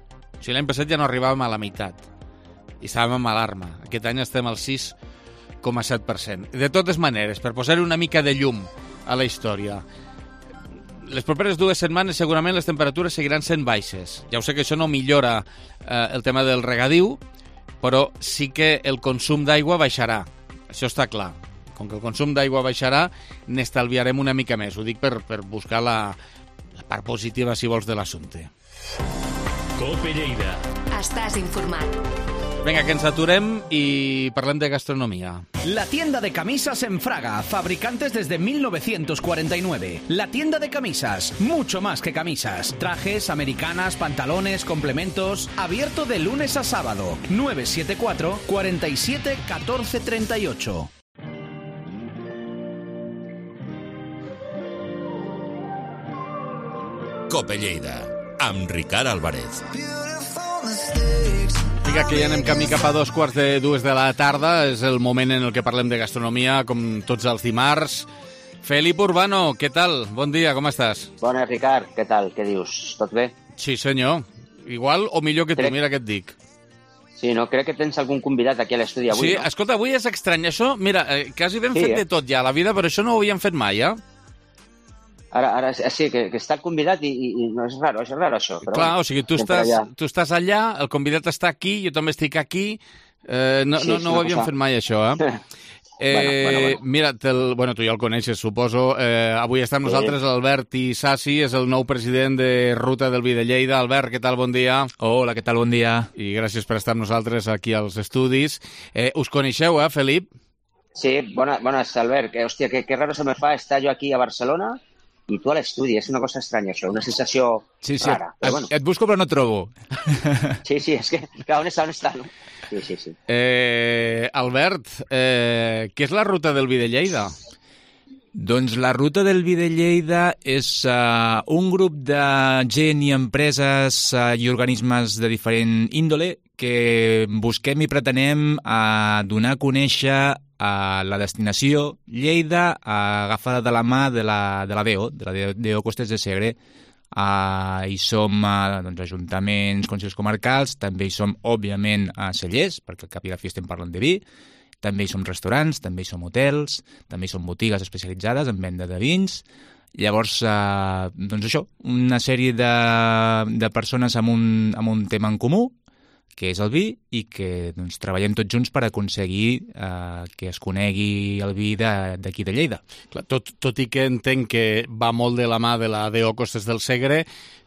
sigui, l'any passat ja no arribàvem a la meitat i estàvem en alarma. Aquest any estem al 6,7%. De totes maneres, per posar-hi una mica de llum a la història, les properes 2 setmanes segurament les temperatures seguiran sent baixes. Ja ho sé que això no millora el tema del regadiu, però sí que el consum d'aigua baixarà. Això està clar. Com que el consum d'aigua baixarà, n'estalviarem una mica més. Ho dic per buscar la part positiva, si vols, de l'assumpte. COPE Lleida. Estàs informat. Venga, que ens aturem y parlem de gastronomía. La tienda de camisas en Fraga, fabricantes desde 1949. La tienda de camisas, mucho más que camisas. Trajes, americanas, pantalones, complementos. Abierto de lunes a sábado. 974 47 14 38. COPE Lleida, amb Ricard Álvarez. Vinga, que ja anem camí cap a 2:45 de la tarda. És el moment en el que parlem de gastronomia, com tots els dimarts. Felip Urbano, què tal? Bon dia, com estàs? Bona, Ricard, què tal? Què dius? Tot bé? Sí, senyor. Igual o millor que tu, mira què et dic. Sí, no? Crec que tens algun convidat aquí a l'estudi avui, sí, no? Escolta, avui és estrany. Això, mira, quasi ben fet de tot ja a la vida, però això no ho havíem fet mai, eh? Ara sí, que està el convidat i no és raro això. Però clar, o sigui, tu estàs allà, el convidat està aquí, jo també estic aquí, no ho havíem fet mai, això, eh? Bueno. Mira, tu ja el coneixes, suposo. Avui està amb nosaltres l'Albert Isasi, és el nou president de Ruta del Vi de Lleida. Albert, què tal? Bon dia. Hola, què tal? Bon dia. I gràcies per estar amb nosaltres aquí als estudis. Us coneixeu, Felip? Sí, bones, Albert. Hòstia, que raro se me fa estar jo aquí a Barcelona i tu a l'estudi. És una cosa estranya, això, una sensació rara. Però bueno. Et busco però no et trobo. Sí, és que on està, no? Sí. Albert, què és la Ruta del Vi de Lleida? Doncs la Ruta del Vi de Lleida és un grup de gent i empreses i organismes de diferent índole que busquem i pretenem donar a conèixer la destinació Lleida agafada de la mà de la DO, de la DO Costes de Segre. Hi som ajuntaments, consells comarcals, també hi som, òbviament, cellers, perquè al cap i a la fi estem parlant de vi, també hi som restaurants, també hi som hotels, també hi som botigues especialitzades en venda de vins. Llavors, doncs això, una sèrie de persones amb un tema en comú, que és el vi, i que treballem tots junts per aconseguir que es conegui el vi d'aquí de Lleida. Clar, tot i que entenc que va molt de la mà de la DO Costes del Segre,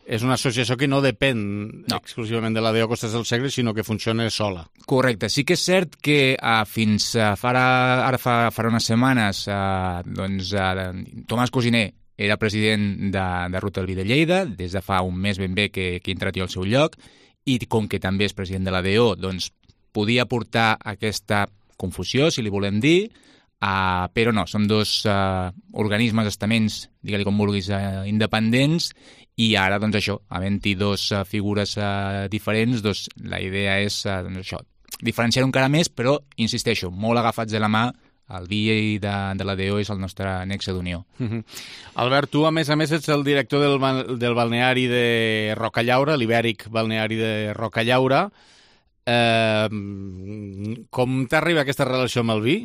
és una associació que no depèn exclusivament de la DO Costes del Segre, sinó que funciona sola. Correcte. Sí que és cert que fins ara fa unes setmanes Tomàs Cosiner era president de Ruta del Vi de Lleida, des de fa un mes ben bé que he entrat jo al seu lloc, i com que també és president de la DO, doncs podia portar aquesta confusió, si li volem dir, però no, som dos organismes, estaments, digue-li com vulguis, independents, i ara, doncs això, havent-hi dos figures diferents, doncs la idea és això, diferenciar encara més, però, insisteixo, molt agafats de la mà. El vi de la DO és el nostre nexe d'unió. Albert, tu, a més, ets el director del balneari de Rocallaura, l'Ibèric balneari de Rocallaura. Com t'arriba aquesta relació amb el vi?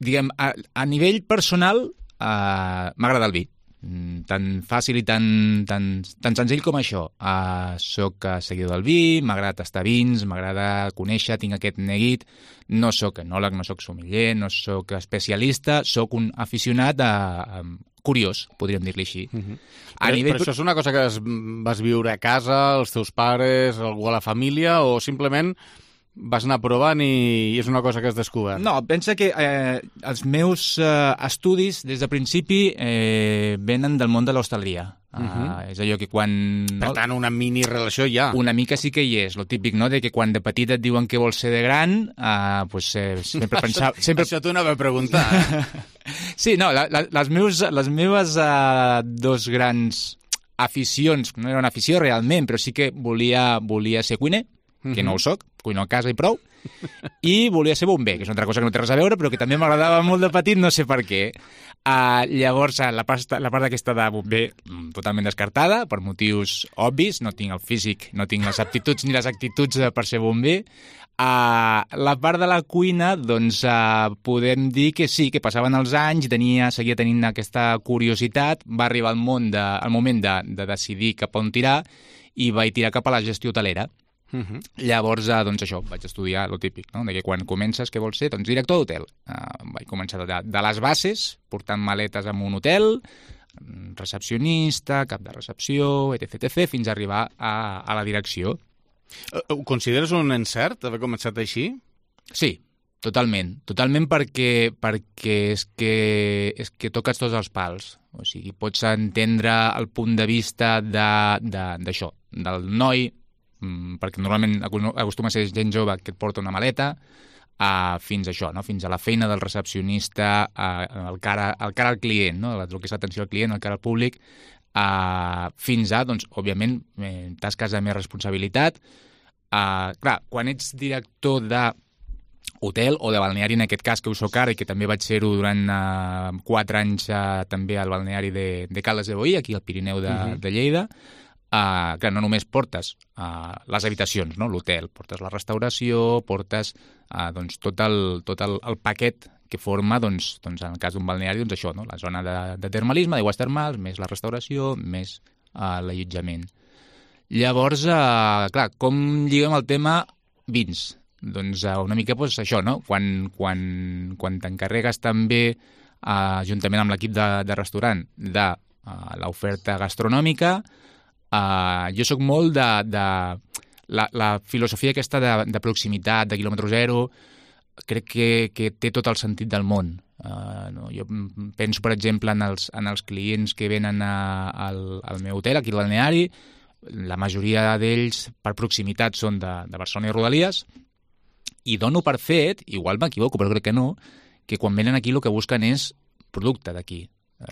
Diguem, a nivell personal, m'agrada el vi. tan fàcil i tan senzill com això. Soc seguidor del vi, m'agrada tastar vins, m'agrada conèixer, tinc aquest neguit. No soc enòleg, no soc sommelier, no soc especialista, soc un aficionat curiós, podríem dir-li així. Però això és una cosa que vas viure a casa, els teus pares, algú a la família, o simplement vas anar provant i és una cosa que has descobert? No, pensa que els meus estudis des de principi venen del món de l'hostaleria. És allò que quan... Per tant, una mini relació hi ha. Una mica sí que hi és, lo típic, no?, de que quan de petit et diuen què vols ser de gran, sempre pensava... Això t'ho anava a preguntar. Sí, no, les meves dos grans aficions, no era una afició realment, però sí que volia ser cuiner, que no ho soc, cuino a casa i prou, i volia ser bomber, que és una altra cosa que no té res a veure, però que també m'agradava molt de petit, no sé per què. Llavors, la part aquesta de bomber totalment descartada, per motius obvis, no tinc el físic, no tinc les aptituds ni les actituds per ser bomber. La part de la cuina, doncs, podem dir que sí, que passaven els anys, seguia tenint aquesta curiositat, va arribar el moment de decidir cap on tirar, i vaig tirar cap a la gestió hotelera. Llavors, doncs això, vaig estudiar lo típic, no?, de que quan comences, què vols ser? Doncs director d'hotel. Vaig començar de les bases, portant maletes en un hotel, recepcionista, cap de recepció, etc., fins a arribar a la direcció. Ho consideres un encert, haver començat així? Sí, totalment perquè és que toques tots els pals. O sigui, pots entendre el punt de vista d'això, del noi, perquè normalment acostuma a ser gent jove que et porta una maleta, fins a això, no?, fins a la feina del recepcionista, el cara al client, no?, el que és l'atenció al client, el cara al públic, fins a, doncs, òbviament, tasques de més responsabilitat. Clar, quan ets director d'hotel o de balneari, en aquest cas, que ho soc ara i que també vaig ser-ho durant 4 anys també al balneari de Caldes de Boí, aquí al Pirineu de Lleida, clar, no només portes les habitacions, no?, l'hotel, portes la restauració, portes doncs, tot el paquet que forma, doncs, en el cas d'un balneari, doncs això, no?, la zona de termalisme, d'aigües termals, més la restauració, més l'allotjament. Llavors, clar, com lliguem el tema vins? Doncs una mica això, no?, quan t'encarregues també, juntament amb l'equip de restaurant, de l'oferta gastronòmica. Jo sóc molt de la filosofia aquesta de proximitat, de quilòmetre zero, crec que té tot el sentit del món. Jo penso, per exemple, en els clients que venen al meu hotel, aquí al balneari. La majoria d'ells, per proximitat, són de Barcelona i Rodalies, i dono per fet, igual m'equivoco, però crec que no, que quan venen aquí el que busquen és producte d'aquí.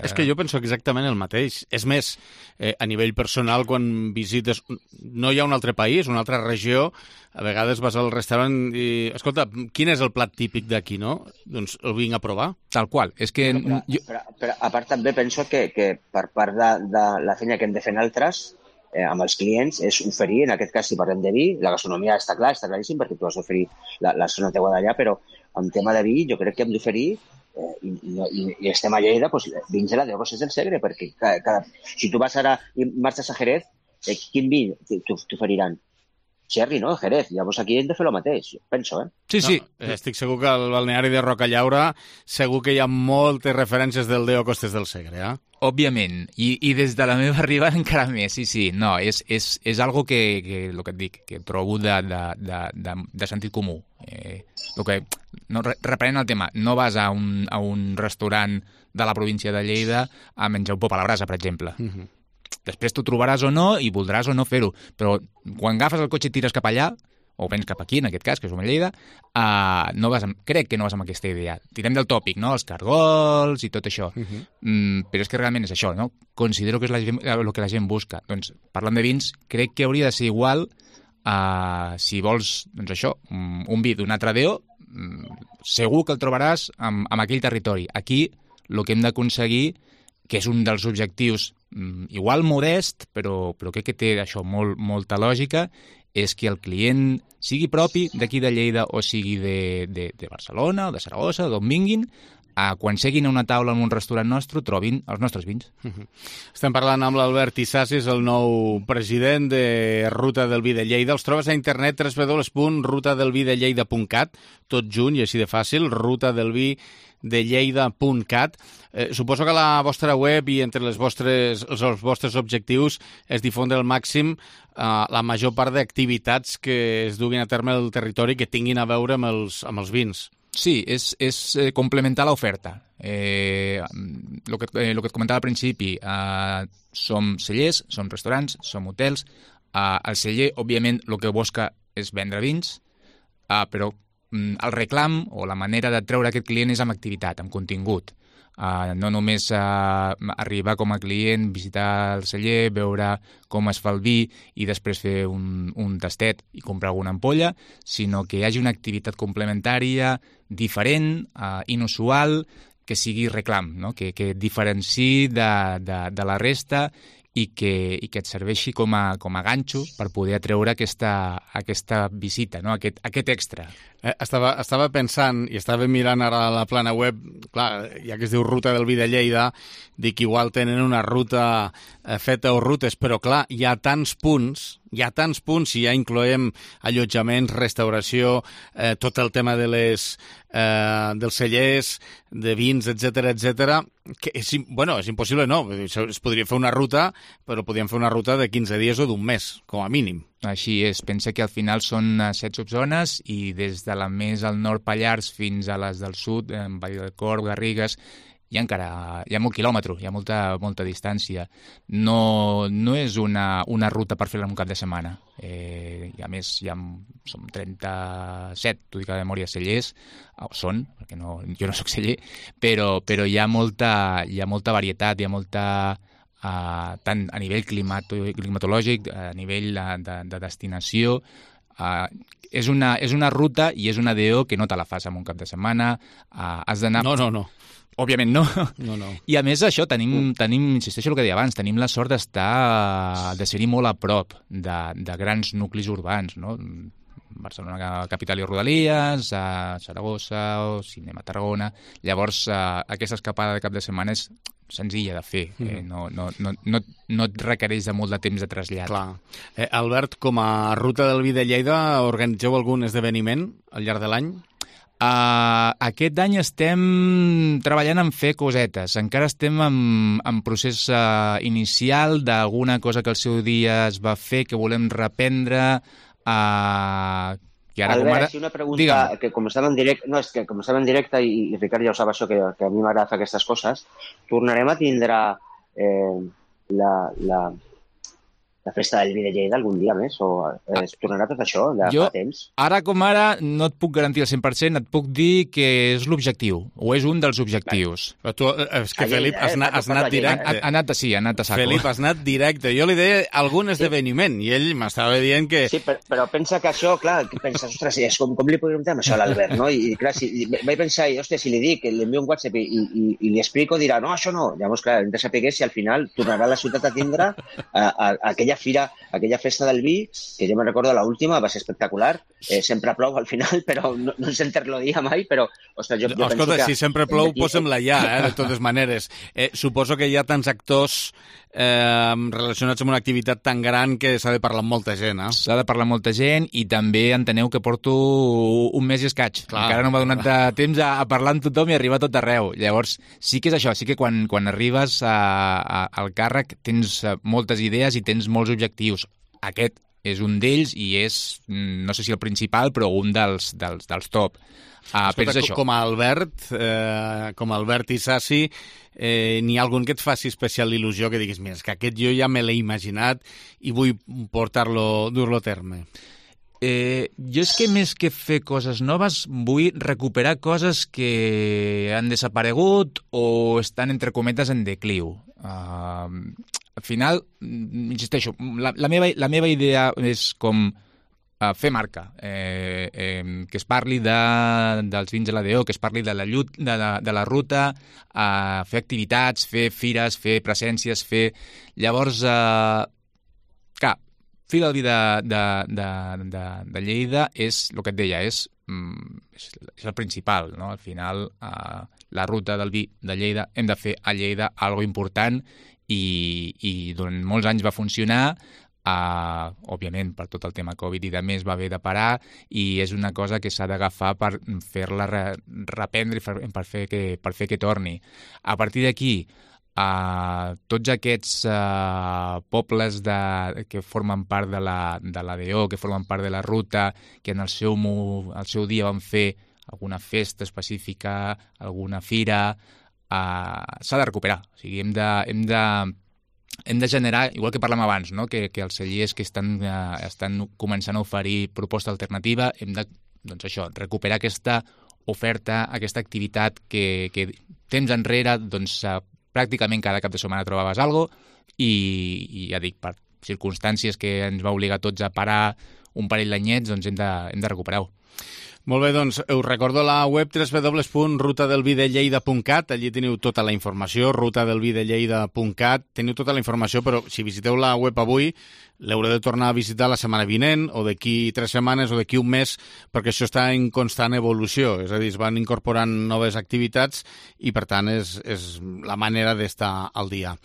És que jo penso exactament el mateix. És més, a nivell personal, quan visites... No hi ha un altre país, una altra regió, a vegades vas al restaurant i... Escolta, quin és el plat típic d'aquí, no? Doncs el vinc a provar. Tal qual. És que... Però a part també penso que per part de la feina que hem de fer altres, amb els clients, és oferir, en aquest cas, si parlem de vi, la gastronomia està claríssim, perquè tu has d'oferir la zona teua d'allà, però en tema de vi jo crec que hem d'oferir i estem a Lleida, doncs, vins de la de Roses del Segre, perquè si tu vas ara i marxes a Jerez, quin vi t'oferiran? Cherry, no? Jerez. Llavors aquí hem de fer el mateix, penso, Sí. No, estic segur que al balneari de Rocallaura segur que hi ha moltes referències del Déu a Costes del Segre, Òbviament, i des de la meva arribada encara més, sí. No, és algo que el que et dic, que trobo de sentit comú. Reprenent el tema, no vas a un restaurant de la província de Lleida a menjar un pop a la brasa, per exemple. Després t'ho trobaràs o no i voldràs o no fer-ho, però quan agafes el cotxe i tires cap allà, o vens cap aquí, en aquest cas, que som a Lleida, crec que no vas amb aquesta idea. Tirem del tòpic, no?, els cargols i tot això. Però és que realment és això, no? Considero que és el que la gent busca. Doncs, parlant de vins, crec que hauria de ser igual si vols, doncs això, un vi d'un altre DO, segur que el trobaràs en aquell territori. Aquí, el que hem d'aconseguir, que és un dels objectius igual modest, però crec que té això molta lògica, és que el client sigui propi d'aquí de Lleida o sigui de Barcelona o de Saragossa, d'on vinguin, quan seguin a una taula en un restaurant nostre, trobin els nostres vins. Estem parlant amb l'Albert Isassi, el nou president de Ruta del Vi de Lleida. Els trobes a internet www.rutadelvidelleida.cat, tot junt i així de fàcil, rutadelvidelleida.cat. Suposo que a la vostra web i entre els vostres objectius és difondre al màxim la major part d'activitats que es duguin a terme al territori que tinguin a veure amb els vins. Sí, és complementar l'oferta. Lo que et comentava al principi, som cellers, som restaurants, som hotels. El celler, òbviament, el que busca és vendre vins, però el reclam o la manera de treure aquest client és amb activitat, amb contingut. No només arribar com a client, visitar el celler, veure com es fa el vi i després fer un tastet i comprar alguna ampolla, sinó que hi hagi una activitat complementària, diferent, inusual, que sigui reclam, no? que et diferenciï de la resta i que et serveixi com a ganxo per poder atreure aquesta visita, no? aquest extra. Estava pensant i estava mirant ara la plana web, clar, ja que es diu Ruta del Vi de Lleida, dic igual tenen una ruta feta o rutes, però clar, hi ha tants punts, si ja incloem allotjaments, restauració, tot el tema dels cellers, de vins, etc, que és impossible, no. Es podria fer una ruta, però podríem fer una ruta de 15 dies o d'un mes, com a mínim. Així és. Pensa que al final són 7 subzones i des de la més al nord Pallars fins a les del sud, Vall del Corb, Garrigues, hi ha molt quilòmetre, hi ha molta distància. No és una ruta per fer-la en un cap de setmana. I a més, som 37, t'ho dic a memòria, cellers, són, perquè jo no soc celler, però hi ha molta varietat, hi ha molta... tant a nivell climatològic, a nivell de destinació. És una ruta i és una DO que no te la fas en un cap de setmana. Has d'anar... No. Òbviament no. No. I a més això, tenim, insisteixo el que deia abans, tenim la sort de ser-hi molt a prop de grans nuclis urbans, no? Barcelona capital i rodalies, Saragossa o Cinema Tarragona. Llavors, aquesta escapada de cap de setmana és senzilla de fer, no et requereix de molt de temps de trasllat. Clar. Albert, com a Ruta del Vi de Lleida, organitzeu algun esdeveniment al llarg de l'any? Aquest any estem treballant en fer cosetes. Encara estem en procés inicial d'alguna cosa que al seu dia es va fer, que volem reprendre. Albert, una pregunta, que com estava en directe, i Ricard ja ho sap això, que a mi m'agrada fer aquestes coses, tornarem a tindre la festa del Vi de Lleida algun dia més? O es tornarà tot això de fa temps? Ara com ara no et puc garantir al 100%, et puc dir que és l'objectiu, o és un dels objectius. Però tu, és que Felip, has anat directe. Ha anat a saco. Felip, has anat directe. Jo li deia algun esdeveniment, i ell m'estava dient que... Sí, però pensa que això, clar, penses, ostres, com li podríem dir això a l'Albert, no? I clar, vaig pensar, hòstia, si li dic, li envio un WhatsApp i li explico, dirà, no, això no. Llavors, clar, hem de saber si al final tornarà a la ciutat a tindre aquella festa del vi, que jo me'n recordo l'última, va ser espectacular. Sempre plou al final, però no ens enterlodia mai, però, ostres, jo penso escolta, que... si sempre plou, posem-la ja, de totes maneres. Suposo que hi ha tants actors relacionats amb una activitat tan gran que s'ha de parlar amb molta gent, eh? S'ha de parlar amb molta gent i també enteneu que porto un mes i escaig. Clar. Encara no m'ha donat temps a parlar amb tothom i arribar a tot arreu. Llavors, sí que és això, sí que quan arribes al càrrec tens moltes idees i tens molts objectius. Aquest és un d'ells i és, no sé si el principal, però un dels top. Escolta, com a Albert Isassi, n'hi ha algun que et faci especial il·lusió, que diguis, mira, és que aquest jo ja me l'he imaginat i vull dur-lo a terme? Jo és que més que fer coses noves vull recuperar coses que han desaparegut o estan entre cometes en decliu. Al final, insisteixo, la meva idea és com fer marca, que es parli dels vins de l'ADO, que es parli de la ruta, fer activitats, fer fires, fer presències, Llavors, clar, Fira del Vi de Lleida és, el que et deia, és és el principal, no? Al final, la ruta del vi de Lleida, hem de fer a Lleida algo important i durant molts anys va funcionar. Òbviament, per tot el tema Covid i de més, va haver de parar i és una cosa que s'ha d'agafar per fer-la reprendre i per fer que torni. A partir d'aquí, tots aquests pobles que formen part de l'ADO, que formen part de la ruta, que en el seu dia van fer alguna festa específica, alguna fira, s'ha de recuperar. O sigui, hem de generar, igual que parlem abans, no? que els cellers que estan començant a oferir proposta alternativa, hem de, doncs això, recuperar aquesta oferta, aquesta activitat que temps enrere, doncs, pràcticament cada cap de setmana trobaves alguna cosa i ja dic, per circumstàncies que ens va obligar tots a parar un parell d'anyets, doncs hem de recuperar-ho. Molt bé, doncs us recordo la web www.rutadelvidelleida.cat, allí teniu tota la informació, rutadelvidelleida.cat, teniu tota la informació, però si visiteu la web avui, l'haureu de tornar a visitar la setmana vinent, o d'aquí 3 setmanes, o d'aquí un mes, perquè això està en constant evolució, és a dir, es van incorporant noves activitats i, per tant, és la manera d'estar al dia.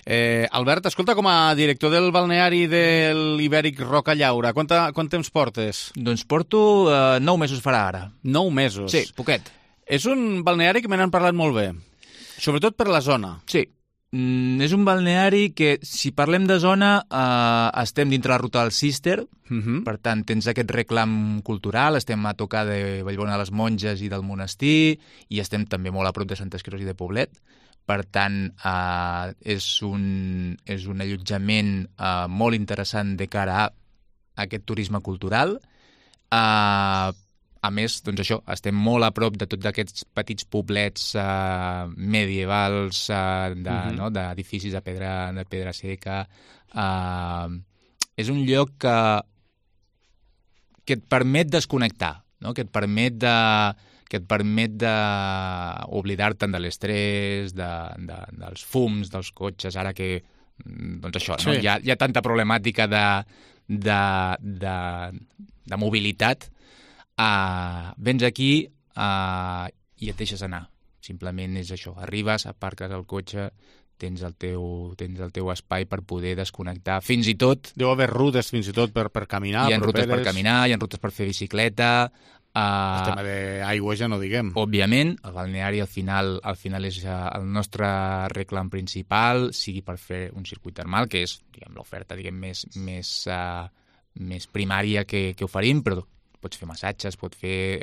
Albert, escolta, com a director del balneari de l'Ibèric Roca Llaura, quant temps portes? Doncs porto 9 mesos farà ara. 9 mesos? Sí, poquet. És un balneari que me n'han parlat molt bé, sobretot per la zona. Sí. És un balneari que, si parlem de zona, estem dintre la ruta del Cister, per tant, tens aquest reclam cultural, estem a tocar de Vallbona de les Monges i del monestir, i estem també molt a prop de Santes Creus i de Poblet. Per tant, és un allotjament molt interessant de cara a aquest turisme cultural. A més, doncs això, estem molt a prop de tots aquests petits poblets medievals, d'edificis de pedra seca. És un lloc que et permet desconnectar, no? que et permet oblidar-te'n de l'estrès, dels fums, dels cotxes, ara que, doncs això, no? Hi ha tanta problemàtica de mobilitat. Vens aquí i et deixes anar. Simplement és això. Arribes, aparques el cotxe, tens el teu espai per poder desconnectar. Fins i tot... Deu haver rutes fins i tot per caminar. Hi ha rutes per caminar, hi ha rutes per fer bicicleta. El tema d'aigua ja no diguem. Òbviament, el balneari al final és el nostre reclam principal, sigui per fer un circuit termal, que és l'oferta més primària que oferim, però pots fer massatges, pots fer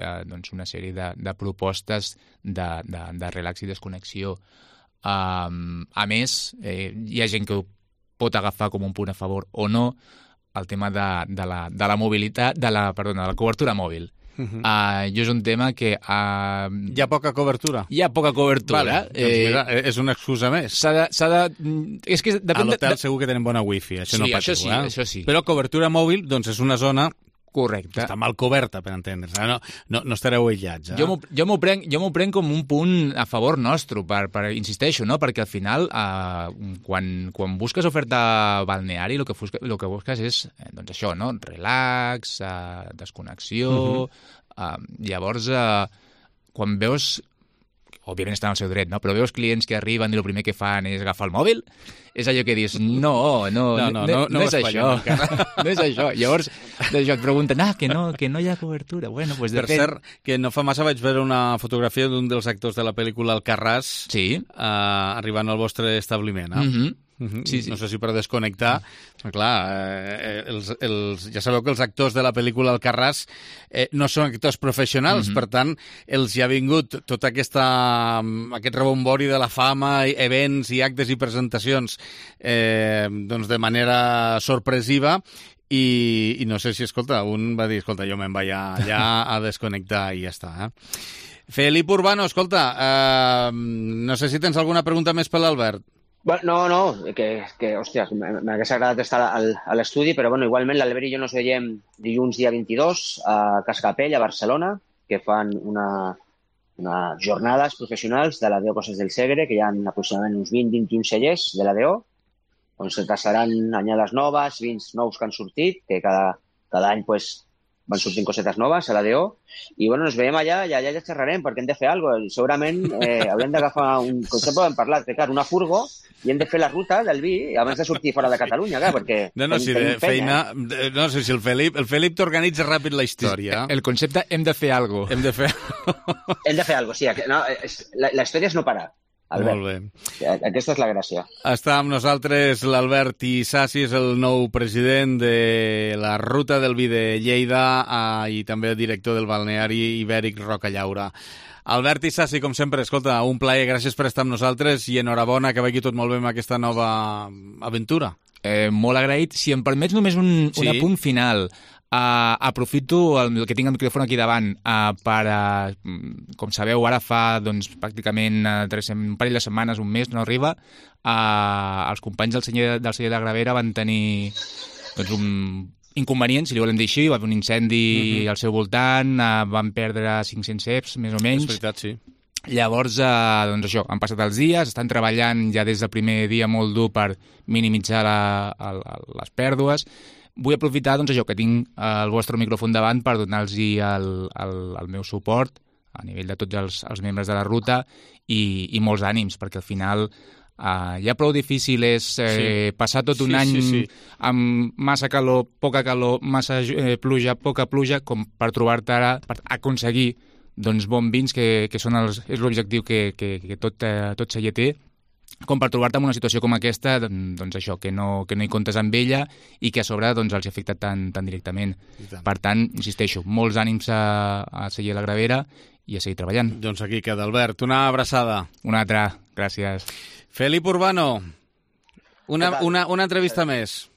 una sèrie de propostes de relax i desconnexió. A més, hi ha gent que ho pot agafar com un punt a favor o no, el tema de la mobilitat, de la cobertura mòbil. Jo és un tema que... Hi ha poca cobertura? Hi ha poca cobertura. Vale, doncs mira, és una excusa més. És que a l'hotel segur que tenen bona wifi, això no patiu. Això sí. Però cobertura mòbil, doncs és una zona... Correcte. Està mal coberta, per entendre's. No estareu aïllats. Jo m'ho prenc com un punt a favor nostre, insisteixo, no? Perquè al final, quan busques oferta balneari, el que busques és doncs això, no? Relax, desconnexió... Llavors, quan veus... Òbviament estan al seu dret, no? Però veus clients que arriben i el primer que fan és agafar el mòbil, és allò que dius, no és això. No és això. Llavors, et pregunten, que no hi ha cobertura. Bueno, pues per cert, que no fa massa vaig veure una fotografia d'un dels actors de la pel·lícula Alcarràs arribant al vostre establiment. Sí. No sé si per desconnectar, però clar, ja sabeu que els actors de la pel·lícula Alcarràs no són actors professionals, per tant, els hi ha vingut tot aquest rebombori de la fama, events i actes i presentacions doncs de manera sorpresiva, i no sé si, un va dir, jo me'n vaig allà a desconnectar i ja està. Felip Urbano, no sé si tens alguna pregunta més per l'Albert. No, hòstia, m'hagués agradat estar a l'estudi, però igualment l'Albert i jo ens veiem dilluns dia 22 a Cascapell, a Barcelona, que fan unes jornades professionals de l'ADO Coses del Segre, que hi ha aproximadament uns 20-21 cellers de l'ADO, on se tasaran anyades noves, vins nous que han sortit, que cada any van sortint cosetes noves a l'ADO, i bueno, ens veiem allà i allà ja xerrarem, perquè hem de fer alguna cosa. Segurament haurem d'agafar un concepte, hem parlat, que clar, una furgo, i hem de fer la ruta del vi abans de sortir fora de Catalunya, clar, perquè tenim feina. No sé si el Felip t'organitza ràpid la història. El concepte hem de fer alguna cosa. Hem de fer alguna cosa, sí. No, la història és no parar. Albert. Molt bé. Aquesta és la gràcia. Està amb nosaltres l'Albert Isasi, és el nou president de la Ruta del Vi de Lleida i també el director del balneari Ibèric Rocallaura. Albert Isasi, com sempre, escolta, un plaer, gràcies per estar amb nosaltres i enhorabona, que vagi tot molt bé amb aquesta nova aventura. Molt agraït. Si em permets només un apunt final. Aprofito el que tinc el micròfon aquí davant per, com sabeu, ara fa pràcticament un parell de setmanes, un mes, no arriba, els companys del celler de Gravera van tenir un inconvenient, si li volem dir així, va haver un incendi al seu voltant, van perdre 500 ceps, més o menys. És veritat, sí. Llavors, això, han passat els dies, estan treballant ja des del primer dia molt dur per minimitzar les pèrdues. Vull aprofitar que tinc el vostre micròfon davant per donar-los el meu suport a nivell de tots els membres de la ruta i molts ànims, perquè al final ja prou difícil és passar tot un any amb massa calor, poca calor, massa pluja, poca pluja, com per trobar-te ara, per aconseguir bons vins, que és l'objectiu que tot celler té, com per trobar-te en una situació com aquesta, això, que no hi comptes amb ella i que a sobre els afecta tan directament. Per tant, insisteixo, molts ànims a celler la Gravera i a seguir treballant. Doncs aquí queda, Albert. Una abraçada. Una altra. Gràcies. Felip Urbano, una entrevista més.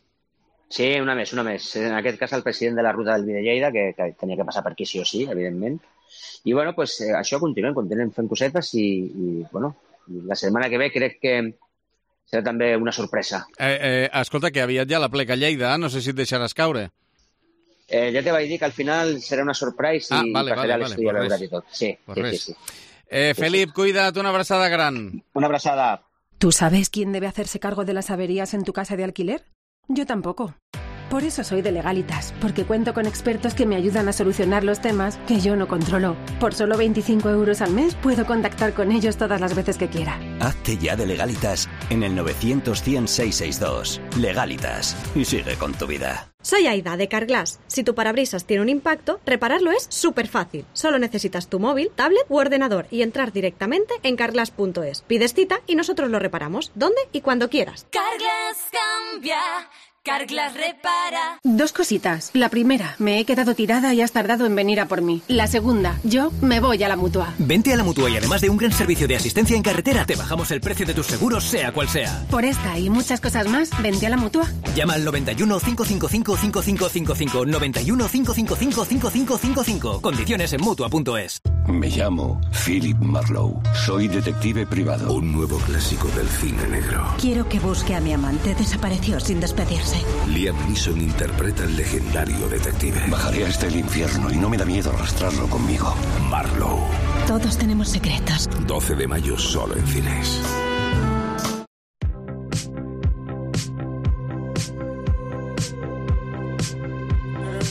Sí, una més. En aquest cas, el president de la Ruta del Vi de Lleida, que tenia que passar per aquí sí o sí, evidentment. I, bueno, pues, això continuem fent cosetes i bueno, la setmana que ve crec que serà també una sorpresa. Escolta, que aviat ja la pleca Lleida, no sé si et deixaràs caure. Ja te vaig dir que al final serà una sorpresa i passaré a l'estudi a veure-hi tot. Sí. Felip, cuida't, una abraçada gran. Una abraçada. ¿Tú sabes quién debe hacerse cargo de las averías en tu casa de alquiler? Yo tampoco. Por eso soy de Legalitas, porque cuento con expertos que me ayudan a solucionar los temas que yo no controlo. Por solo 25 € al mes puedo contactar con ellos todas las veces que quiera. Hazte ya de Legalitas en el 900-100-662. Legalitas. Y sigue con tu vida. Soy Aida, de Carglass. Si tu parabrisas tiene un impacto, repararlo es súper fácil. Solo necesitas tu móvil, tablet u ordenador y entrar directamente en carglass.es. Pides cita y nosotros lo reparamos, donde y cuando quieras. Carglass cambia. Carglass repara. Dos cositas. La primera, me he quedado tirada y has tardado en venir a por mí. La segunda, yo me voy a la Mutua. Vente a la Mutua y además de un gran servicio de asistencia en carretera, te bajamos el precio de tus seguros, sea cual sea. Por esta y muchas cosas más, vente a la Mutua. Llama al 91 555 5555. 91 555 5555. Condiciones en Mutua.es. Me llamo Philip Marlowe. Soy detective privado. Un nuevo clásico del cine negro. Quiero que busque a mi amante. Desapareció sin despedirse. Liam Neeson interpreta al legendario detective. Bajaré hasta el infierno y no me da miedo arrastrarlo conmigo. Marlowe. Todos tenemos secretos. 12 de mayo solo en cines.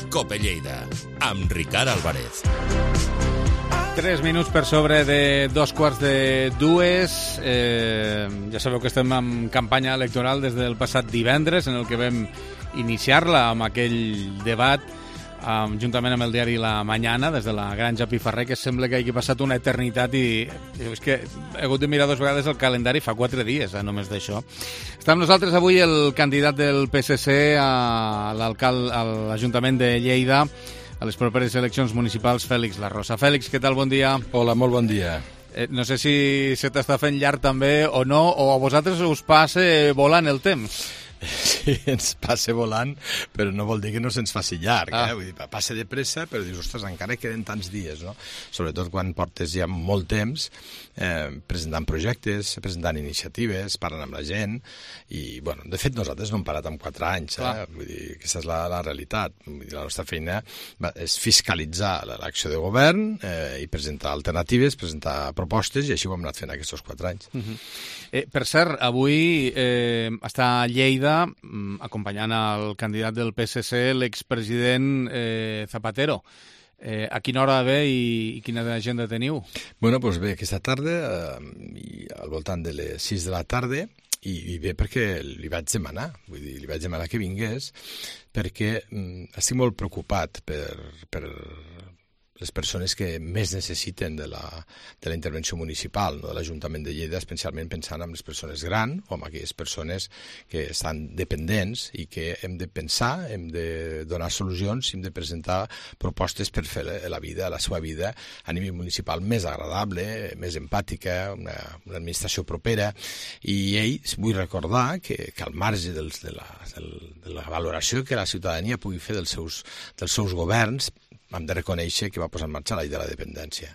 Cope Lleida, amb Ricard Álvarez. 3 minuts per sobre de 2:45. Ja sabeu que estem en campanya electoral des del passat divendres, en el que vam iniciar-la amb aquell debat juntament amb el diari La Mañana, des de la Granja Piferrer, que sembla que hagi passat una eternitat i és que he hagut de mirar 2 vegades el calendari, fa 4 dies, només d'això. Està amb nosaltres avui el candidat del PSC a l'Ajuntament de Lleida a les properes eleccions municipals, Fèlix Larrosa. Fèlix, què tal? Bon dia. Hola, molt bon dia. No sé si se t'està fent llarg també o no, o a vosaltres us passa volant el temps. Sí, ens passa volant, però no vol dir que no se'ns faci llarg. Vull dir, passa de pressa, però dius, ostres, encara queden tants dies, no? Sobretot quan portes ja molt temps presentant projectes, presentant iniciatives, parlant amb la gent, i, bueno, de fet, nosaltres no hem parat en 4 anys, vull dir, aquesta és la realitat. Vull dir, la nostra feina és fiscalitzar l'acció de govern i presentar alternatives, presentar propostes, i així ho hem anat fent aquests 4 anys. Per cert, avui està a Lleida acompanyant el candidat del PSC, l'expresident Zapatero. A quina hora ve i quina agenda teniu? Bueno, doncs bé, aquesta tarda, al voltant de les 6 de la tarda, i bé perquè li vaig demanar, vull dir, li vaig demanar que vingués, perquè estic molt preocupat per les persones que més necessiten de la intervenció municipal, no, de l'Ajuntament de Lleida, especialment pensant en les persones grans o en aquelles persones que estan dependents i que hem de pensar, hem de donar solucions, hem de presentar propostes per fer la vida, la seva vida a nivell municipal més agradable, més empàtica, una administració propera, i ells vull recordar que al marge de la valoració que la ciutadania pugui fer dels seus governs, hem de reconèixer que va posar en marxa la llei de la dependència.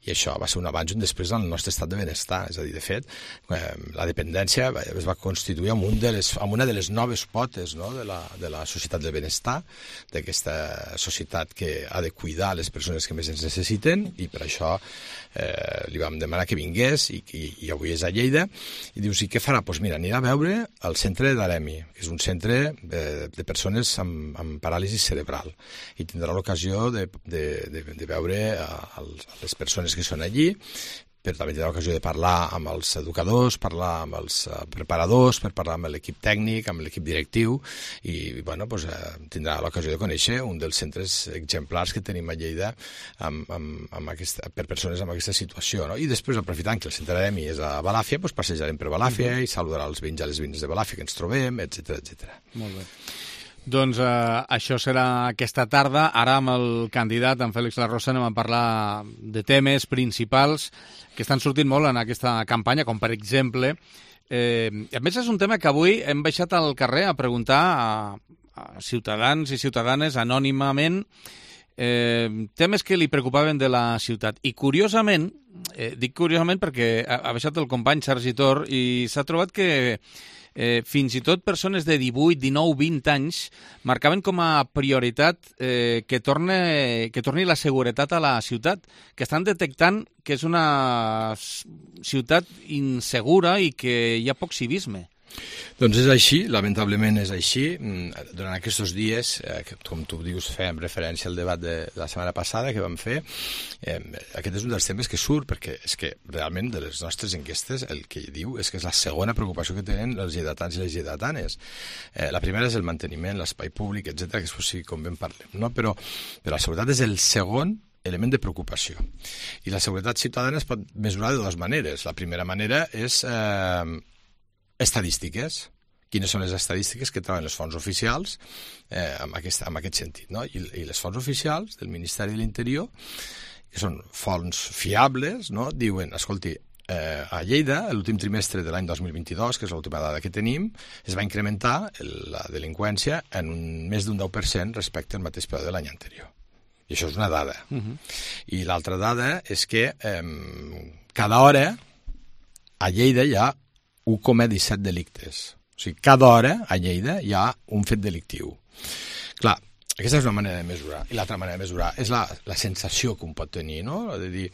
I això va ser un abans i un després en el nostre estat de benestar. És a dir, de fet, la dependència es va constituir amb una de les noves potes, no?, de la societat del benestar, d'aquesta societat que ha de cuidar les persones que més ens necessiten, i per això li vam demanar que vingués, i avui és a Lleida, i dius, i què farà? Doncs mira, anirà a veure el centre d'Aremi, que és un centre de persones amb paràlisi cerebral, i tindrà l'ocasió de veure les persones que són allí, però també tindrà l'ocasió de parlar amb els educadors, parlar amb els preparadors, per parlar amb l'equip tècnic, amb l'equip directiu, i bueno, doncs, tindrà l'ocasió de conèixer un dels centres exemplars que tenim a Lleida per persones amb aquesta situació, no? I després, aprofitant que el centre d'Aremi és a Balàfia, doncs passejarem per Balàfia i saludarà els veïns i les veïnes de Balàfia que ens trobem, etc. Molt bé. Doncs això serà aquesta tarda. Ara amb el candidat, en Fèlix Larrosa, anem a parlar de temes principals que estan sortint molt en aquesta campanya, com per exemple... a més, és un tema que avui hem baixat al carrer a preguntar a ciutadans i ciutadanes anònimament temes que li preocupaven de la ciutat. I curiosament, dic curiosament perquè ha baixat el company Sergi Tor i s'ha trobat que fins i tot persones de 18, 19, 20 anys marcaven com a prioritat que torni la seguretat a la ciutat, que estan detectant que és una ciutat insegura i que hi ha poc civisme. Doncs és així, lamentablement és així. Durant aquests dies, com tu dius, fèiem referència al debat de la setmana passada que vam fer, aquest és un dels temes que surt, perquè és que realment de les nostres enquestes el que diu és que és la segona preocupació que tenen els lleidatans i les lleidatanes. La primera és el manteniment, l'espai públic, etc., que és possible com ben parlem, no? Però la seguretat és el segon element de preocupació. I la seguretat ciutadana es pot mesurar de dues maneres. La primera manera és estadístiques. Quines són les estadístiques que troben les fonts oficials en aquest sentit, no? I les fonts oficials del Ministeri de l'Interior, que són fonts fiables, no?, diuen, escolti, a Lleida, l'últim trimestre de l'any 2022, que és l'última dada que tenim, es va incrementar la delinqüència en més d'un 10% respecte al mateix període de l'any anterior. I això és una dada. I l'altra dada és que cada hora a Lleida hi ha 1,17 delictes. O sigui, cada hora a Lleida hi ha un fet delictiu. Clar, aquesta és una manera de mesurar. I l'altra manera de mesurar és la sensació que un pot tenir, no? De dir,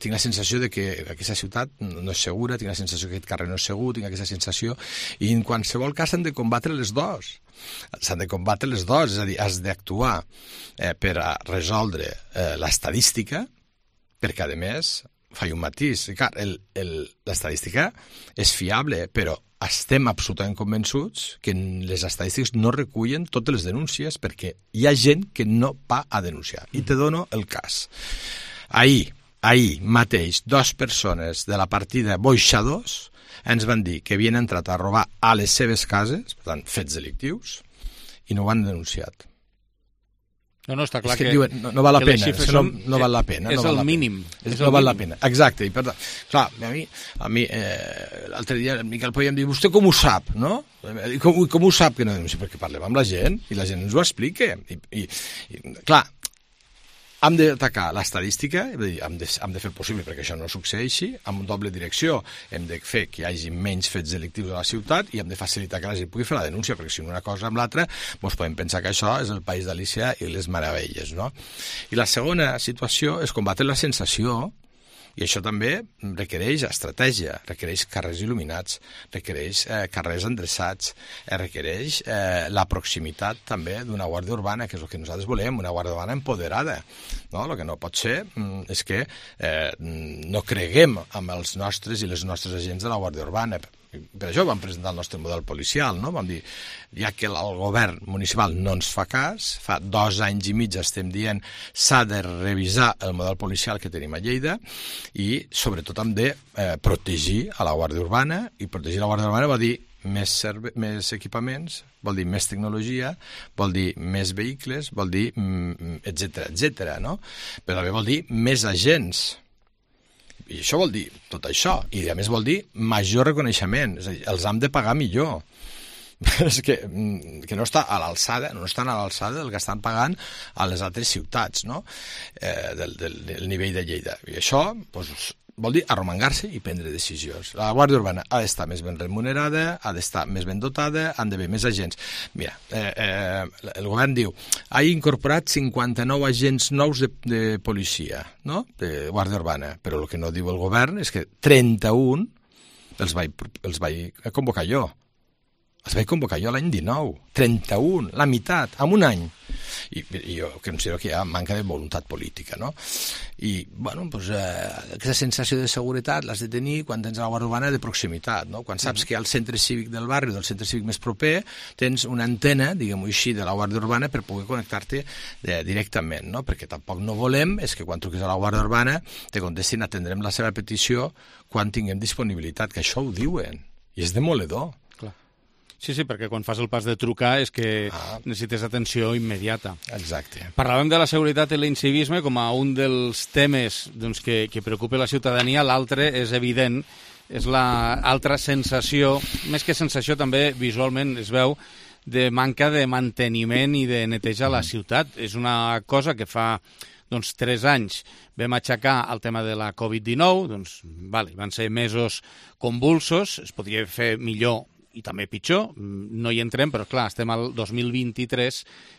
tinc la sensació de que aquesta ciutat no és segura, tinc la sensació que aquest carrer no és segur, tinc aquesta sensació... I en qualsevol cas s'han de combatre les dues. S'han de combatre les dues, és a dir, has d'actuar per a resoldre l'estadística, perquè, a més, faig un matís. Clar, l'estadística és fiable, però estem absolutament convençuts que les estadístiques no recullen totes les denúncies perquè hi ha gent que no va a denunciar. I te dono el cas. Ahir mateix, 2 persones de la partida Boixadors ens van dir que havien entrat a robar a les seves cases, per tant, fets delictius, i no ho han denunciat. No, està clar que diuen, no val la pena, no val la pena. És el mínim. No val la pena, exacte. I per tant, clar, a mi l'altre dia el Miquel podíem dir, vostè com ho sap, no? Com ho sap que no denuncia? Perquè parlem amb la gent i la gent ens ho explica. I clar, hem d'atacar l'estadística, hem de fer el possible perquè això no succeeixi, amb doble direcció hem de fer que hi hagi menys fets delictius a la ciutat i hem de facilitar que la gent pugui fer la denúncia, perquè si una cosa amb l'altra doncs podem pensar que això és el país d'Alícia i les meravelles, no? I la segona situació és combatre la sensació. I això també requereix estratègia, requereix carrers il·luminats, requereix carrers endreçats, requereix la proximitat també d'una guàrdia urbana, que és el que nosaltres volem, una guàrdia urbana empoderada. No? El que no pot ser és que no creguem amb els nostres i les nostres agents de la guàrdia urbana. Per això vam presentar el nostre model policial, no? Vam dir, ja que el govern municipal no ens fa cas, fa 2 anys i mig estem dient s'ha de revisar el model policial que tenim a Lleida i sobretot hem de protegir a la Guàrdia Urbana, i protegir la Guàrdia Urbana vol dir més equipaments, vol dir més tecnologia, vol dir més vehicles, vol dir etcètera, no? Però també vol dir més agents. I això vol dir tot això, i a més vol dir major reconeixement, és a dir, els hem de pagar millor. És que no està a l'alçada, no estan a l'alçada del que estan pagant a les altres ciutats, no? Del nivell de Lleida. I això doncs, vol dir arromangar-se i prendre decisions. La Guàrdia Urbana ha d'estar més ben remunerada, ha d'estar més ben dotada, han d'haver més agents. Mira, el govern diu ha incorporat 59 agents nous de policia, no? De Guàrdia Urbana, però el que no diu el govern és que 31 els vaig convocar jo. Els vaig convocar jo l'any 19. 31, la meitat, en un any. I jo considero que hi ha manca de voluntat política, no? I, bueno, doncs, aquesta sensació de seguretat l'has de tenir quan tens la Guàrdia Urbana de proximitat, no? Quan saps que al centre cívic del barri, del centre cívic més proper, tens una antena, diguem-ho així, de la Guàrdia Urbana per poder connectar-te directament, no? Perquè tampoc no volem és que quan truquis a la Guàrdia Urbana te contestin atendrem la seva petició quan tinguem disponibilitat, que això ho diuen, i és demoledor. Sí, perquè quan fas el pas de trucar és que necessites atenció immediata. Exacte. Parlàvem de la seguretat i l'incivisme com a un dels temes doncs, que preocupa la ciutadania. L'altre és evident, és l'altra sensació, més que sensació també visualment es veu, de manca de manteniment i de neteja a la ciutat. És una cosa que fa 3 anys vam aixecar el tema de la Covid-19, van ser mesos convulsos, es podria fer millor i també pitjor, no hi entrem, però clar, estem al 2023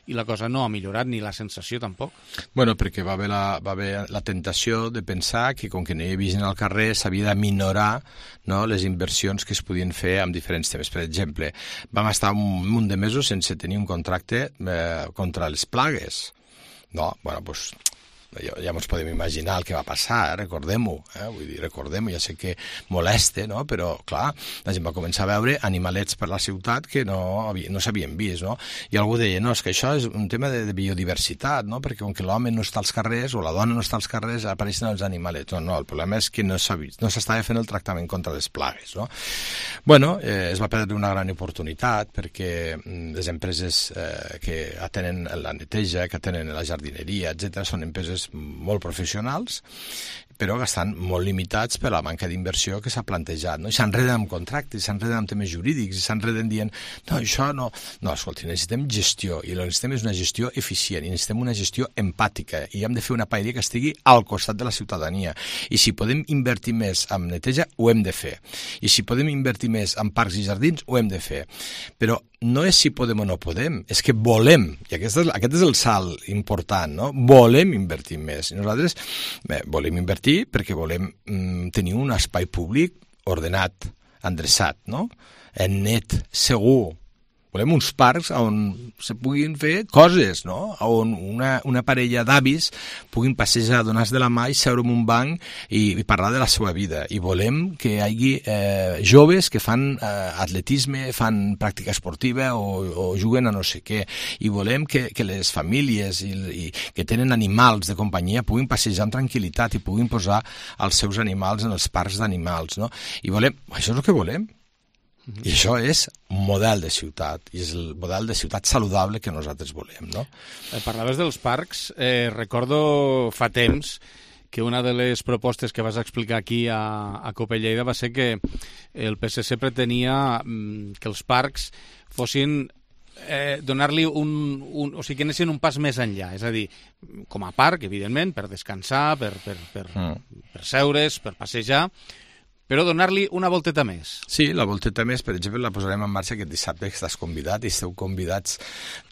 i la cosa no ha millorat, ni la sensació tampoc. Bueno, perquè va haver la tentació de pensar que com que no hi havia gent al carrer s'havia de minorar, no, les inversions que es podien fer amb diferents temes. Per exemple, vam estar un munt de mesos sense tenir un contracte contra les plagues. No, bueno, doncs ja ens podem imaginar el que va passar, recordem-ho, vull dir, recordem-ho, ja sé que molesta, no? Però, clar, la gent va començar a veure animalets per la ciutat que no s'havien vist, no? I algú deia, no, és que això és un tema de biodiversitat, no? Perquè com que l'home no està als carrers o la dona no està als carrers, apareixen els animalets. No, el problema és que no s'estava fent el tractament contra les plagues, no? Bueno, es va perdre una gran oportunitat perquè les empreses que atenen la neteja, que atenen la jardineria, etc., són empreses molt professionals, però que estan molt limitats per la manca d'inversió que s'ha plantejat, no? I s'enreden amb contractes, s'enreden amb temes jurídics, i s'enreden dient, no, això no... No, escolti, necessitem gestió, i el que necessitem és una gestió eficient, i necessitem una gestió empàtica, i hem de fer una paella que estigui al costat de la ciutadania. I si podem invertir més en neteja, ho hem de fer. I si podem invertir més en parcs i jardins, ho hem de fer. Però no és si podem o no podem, és que volem, i aquest és el salt important, no? Volem invertir més. I nosaltres volem invertir perquè volem tenir un espai públic ordenat, endreçat, no? Net, segur. Volem uns parcs on se puguin fer coses, no? On una parella d'avis puguin passejar, donar-se de la mà i seure en un banc i parlar de la seva vida. I volem que hi hagi joves que fan atletisme, fan pràctica esportiva o juguen a no sé què. I volem que les famílies que tenen animals de companyia puguin passejar amb tranquil·litat i puguin posar els seus animals en els parcs d'animals, no? I volem, això és el que volem. I això és un model de ciutat, i és el model de ciutat saludable que nosaltres volem, no? Parlaves dels parcs, recordo fa temps que una de les propostes que vas explicar aquí a COPE Lleida va ser que el PSC pretenia que els parcs fossin donar-li o sigui, que anessin un pas més enllà, és a dir, com a parc, evidentment, per descansar, per seure's, per passejar, però donar-li una volteta més. Sí, la volteta més, per exemple, la posarem en marxa aquest dissabte, que estàs convidat, i esteu convidats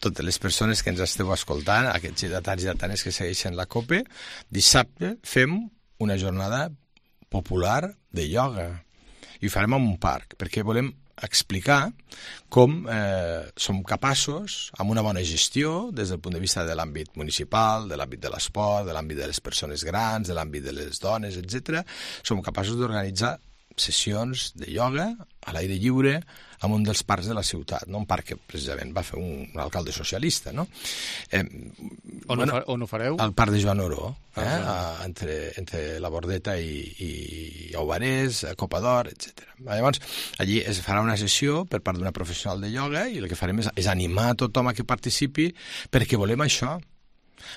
totes les persones que ens esteu escoltant, aquests lleidatans i lleidatanes que segueixen la COPE. Dissabte fem una jornada popular de ioga, i ho farem en un parc, perquè volem explicar com som capaços, amb una bona gestió, des del punt de vista de l'àmbit municipal, de l'àmbit de l'esport, de l'àmbit de les persones grans, de l'àmbit de les dones, etc., som capaços d'organitzar sessions de ioga a l'aire lliure en un dels parcs de la ciutat, no? Un parc que precisament va fer un alcalde socialista, no? On ho fareu? Al parc de Joan Oró, entre la Bordeta i Aubarès, Copa d'Or, etc. Llavors, allí es farà una sessió per part d'una professional de ioga i el que farem és animar a tothom a que participi, perquè volem això.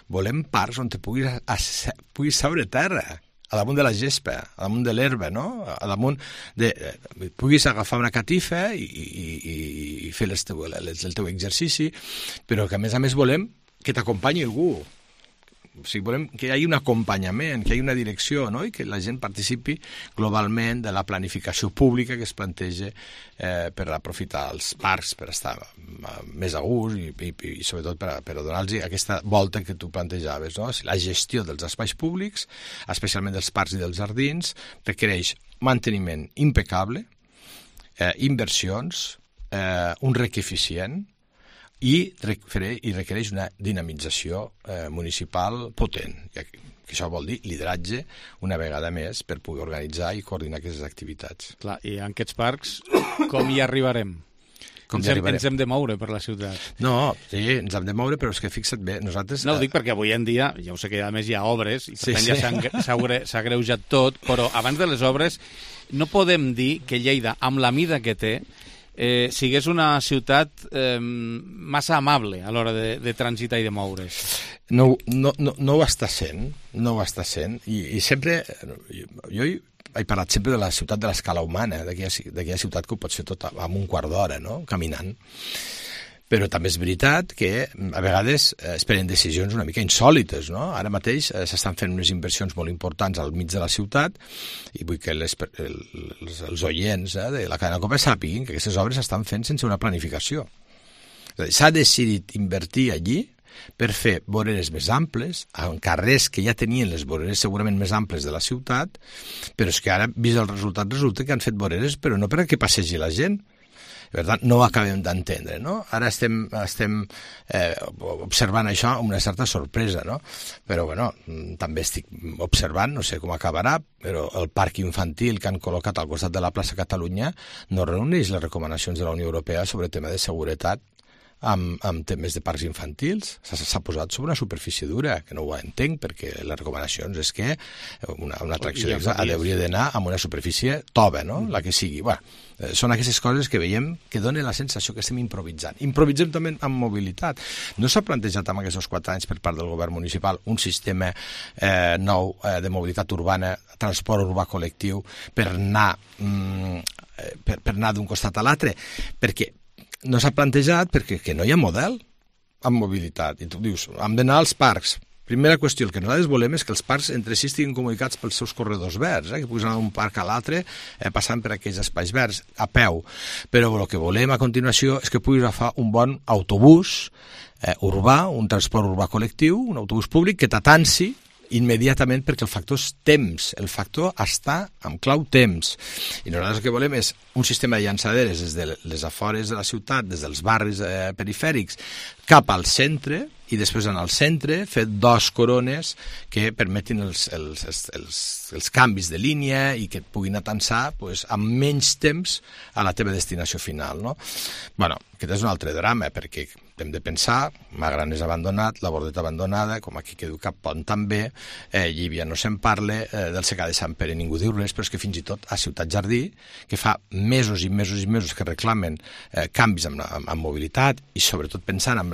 Volem parcs on te puguis seure a terra, a damunt de la gespa, a damunt de l'herba, no? A damunt de... puguis agafar una catifa i fer el teu exercici, però que a més volem que t'acompanyi algú. O sigui, volem que hi hagi un acompanyament, que hi hagi una direcció, no? I que la gent participi globalment de la planificació pública que es planteja per aprofitar els parcs, per estar més a gust i sobretot per donar-los aquesta volta que tu plantejaves, no? La gestió dels espais públics, especialment dels parcs i dels jardins, requereix manteniment impecable, inversions, un rec eficient, i requereix una dinamització municipal potent. Que això vol dir lideratge una vegada més per poder organitzar i coordinar aquestes activitats. Clar, i en aquests parcs com hi arribarem? Ens hem de moure per la ciutat. No, sí, ens hem de moure, però és que fixa't bé, nosaltres... No, ho dic perquè avui en dia, ja ho sé que a més hi ha obres, i per tant ja s'ha greujat tot, però abans de les obres no podem dir que Lleida, amb la mida que té, sigués una ciutat massa amable a l'hora de transitar i de moure's. No ho està sent, i sempre jo he parlat sempre de la ciutat de l'escala humana, d'aquella ciutat que ho pots fer tot en un quart d'hora, no? Caminant. Però també és veritat que a vegades es prenen decisions una mica insòlites, no? Ara mateix s'estan fent unes inversions molt importants al mig de la ciutat i vull que els oients de la cadena COPE sàpiguin que aquestes obres s'estan fent sense una planificació. S'ha decidit invertir allí per fer voreres més amples, en carrers que ja tenien les voreres segurament més amples de la ciutat, però és que ara, vist el resultat, resulta que han fet voreres però no perquè passegi la gent. Per tant, no ho acabem d'entendre, no? Ara estem observant això amb una certa sorpresa, no? Però, bueno, també estic observant, no sé com acabarà, però el parc infantil que han col·locat al costat de la plaça Catalunya no reuneix les recomanacions de la Unió Europea sobre tema de seguretat amb temes de parcs infantils. S'ha posat sobre una superfície dura, que no ho entenc, perquè les recomanacions és que una atracció hauria d'anar amb una superfície tova, no? La que sigui. Bueno, són aquestes coses que veiem que donen la sensació que estem improvisant. Improvisem també amb mobilitat. No s'ha plantejat en aquests 4 anys per part del govern municipal un sistema nou de mobilitat urbana, transport urbà col·lectiu, per anar d'un costat a l'altre, perquè no s'ha plantejat perquè no hi ha model en mobilitat. I tu dius, hem d'anar als parcs. Primera qüestió, el que nosaltres volem és que els parcs entre si estiguin comunicats pels seus corredors verds, que puguis anar d'un parc a l'altre passant per aquells espais verds, a peu. Però el que volem a continuació és que puguis agafar un bon autobús urbà, un transport urbà col·lectiu, un autobús públic que t'atansi immediatament, perquè el factor és temps, el factor està amb clau temps. I nosaltres el que volem és un sistema de llançaderes des de les afores de la ciutat, des dels barris perifèrics, cap al centre, i després en el centre fer 2 corones que permetin els canvis de línia i que et puguin atansar amb menys temps a la teva destinació final, no? Bueno, aquest és un altre drama, perquè hem de pensar, Magran és abandonat, la Bordeta abandonada, com aquí que diu Cap Pont també, Llívia no se'n parla, del secà de Sant Pere ningú diu res, però és que fins i tot a Ciutat Jardí, que fa mesos i mesos i mesos que reclamen canvis en mobilitat i sobretot pensant en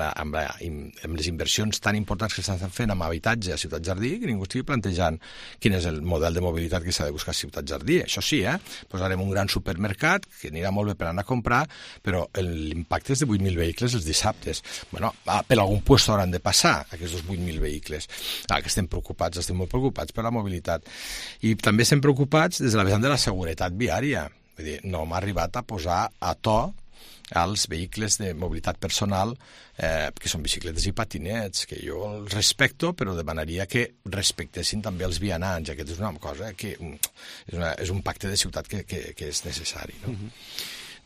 les inversions tan importants que s'estan fent amb habitatge a Ciutat Jardí, que ningú estigui plantejant quin és el model de mobilitat que s'ha de buscar a Ciutat Jardí. Això sí, posarem un gran supermercat que anirà molt bé per anar a comprar, però l'impacte és de 8.000 vehicles els dissabtes. Bueno, per algun lloc hauran de passar aquests 8.000 vehicles. Que estem preocupats, estem molt preocupats per la mobilitat. I també estem preocupats des de la vessant de la seguretat viària. Vull dir, no hem arribat a posar a to als vehicles de mobilitat personal, que són bicicletes i patinets, que jo els respecto, però demanaria que respectessin també els vianants. Aquesta és una cosa que és un pacte de ciutat que és necessari, no?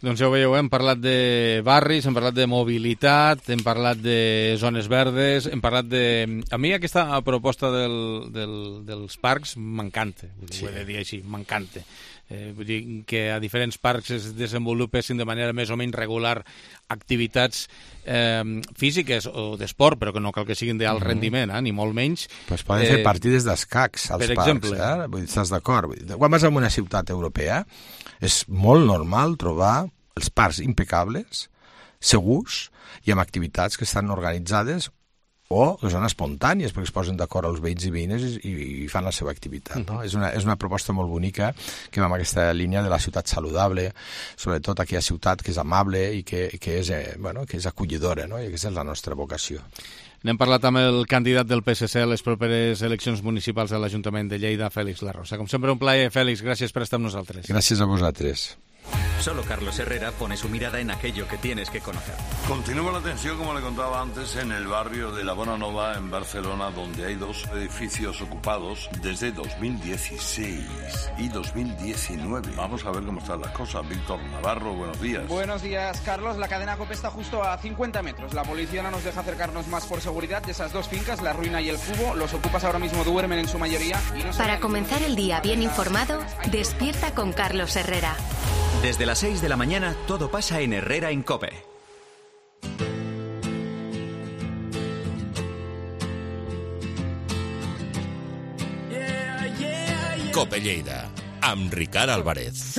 Doncs ja ho veieu, hem parlat de barris, hem parlat de mobilitat, hem parlat de zones verdes, hem parlat de... A mi aquesta proposta dels parcs m'encanta, ho he de dir així, m'encanta. Vull dir que a diferents parcs es desenvolupessin de manera més o menys regular activitats físiques o d'esport, però que no cal que siguin d'alt rendiment, ni molt menys. Pues poden fer partides d'escacs als per parcs, exemple. Vull dir, estàs d'acord? Quan vas a una ciutat europea és molt normal trobar els parcs impecables, segurs i amb activitats que estan organitzades o que són espontànies, perquè es posen d'acord els veïns i veïnes i fan la seva activitat. No? És una proposta molt bonica que va en aquesta línia de la ciutat saludable, sobretot aquella ciutat que és amable i que és acollidora, no? I aquesta és la nostra vocació. N'hem parlat amb el candidat del PSC a les properes eleccions municipals de l'Ajuntament de Lleida, Félix Larrosa. Com sempre, un plaer, Félix. Gràcies per estar amb nosaltres. Gràcies a vosaltres. Solo Carlos Herrera pone su mirada en aquello que tienes que conocer. Continúa la tensión, como le contaba antes, en el barrio de la Bonanova, en Barcelona, donde hay 2 edificios ocupados desde 2016 y 2019. Vamos a ver cómo están las cosas. Víctor Navarro, buenos días. Buenos días, Carlos. La cadena COPE está justo a 50 metros. La policía no nos deja acercarnos más por seguridad de esas 2 fincas, La Ruina y El Cubo. Los ocupas ahora mismo duermen en su mayoría. Y no Para comenzar el día bien informado, despierta con Carlos Herrera. Desde las 6 de la mañana, todo pasa en Herrera en COPE. COPE Lleida, amb Ricard Álvarez.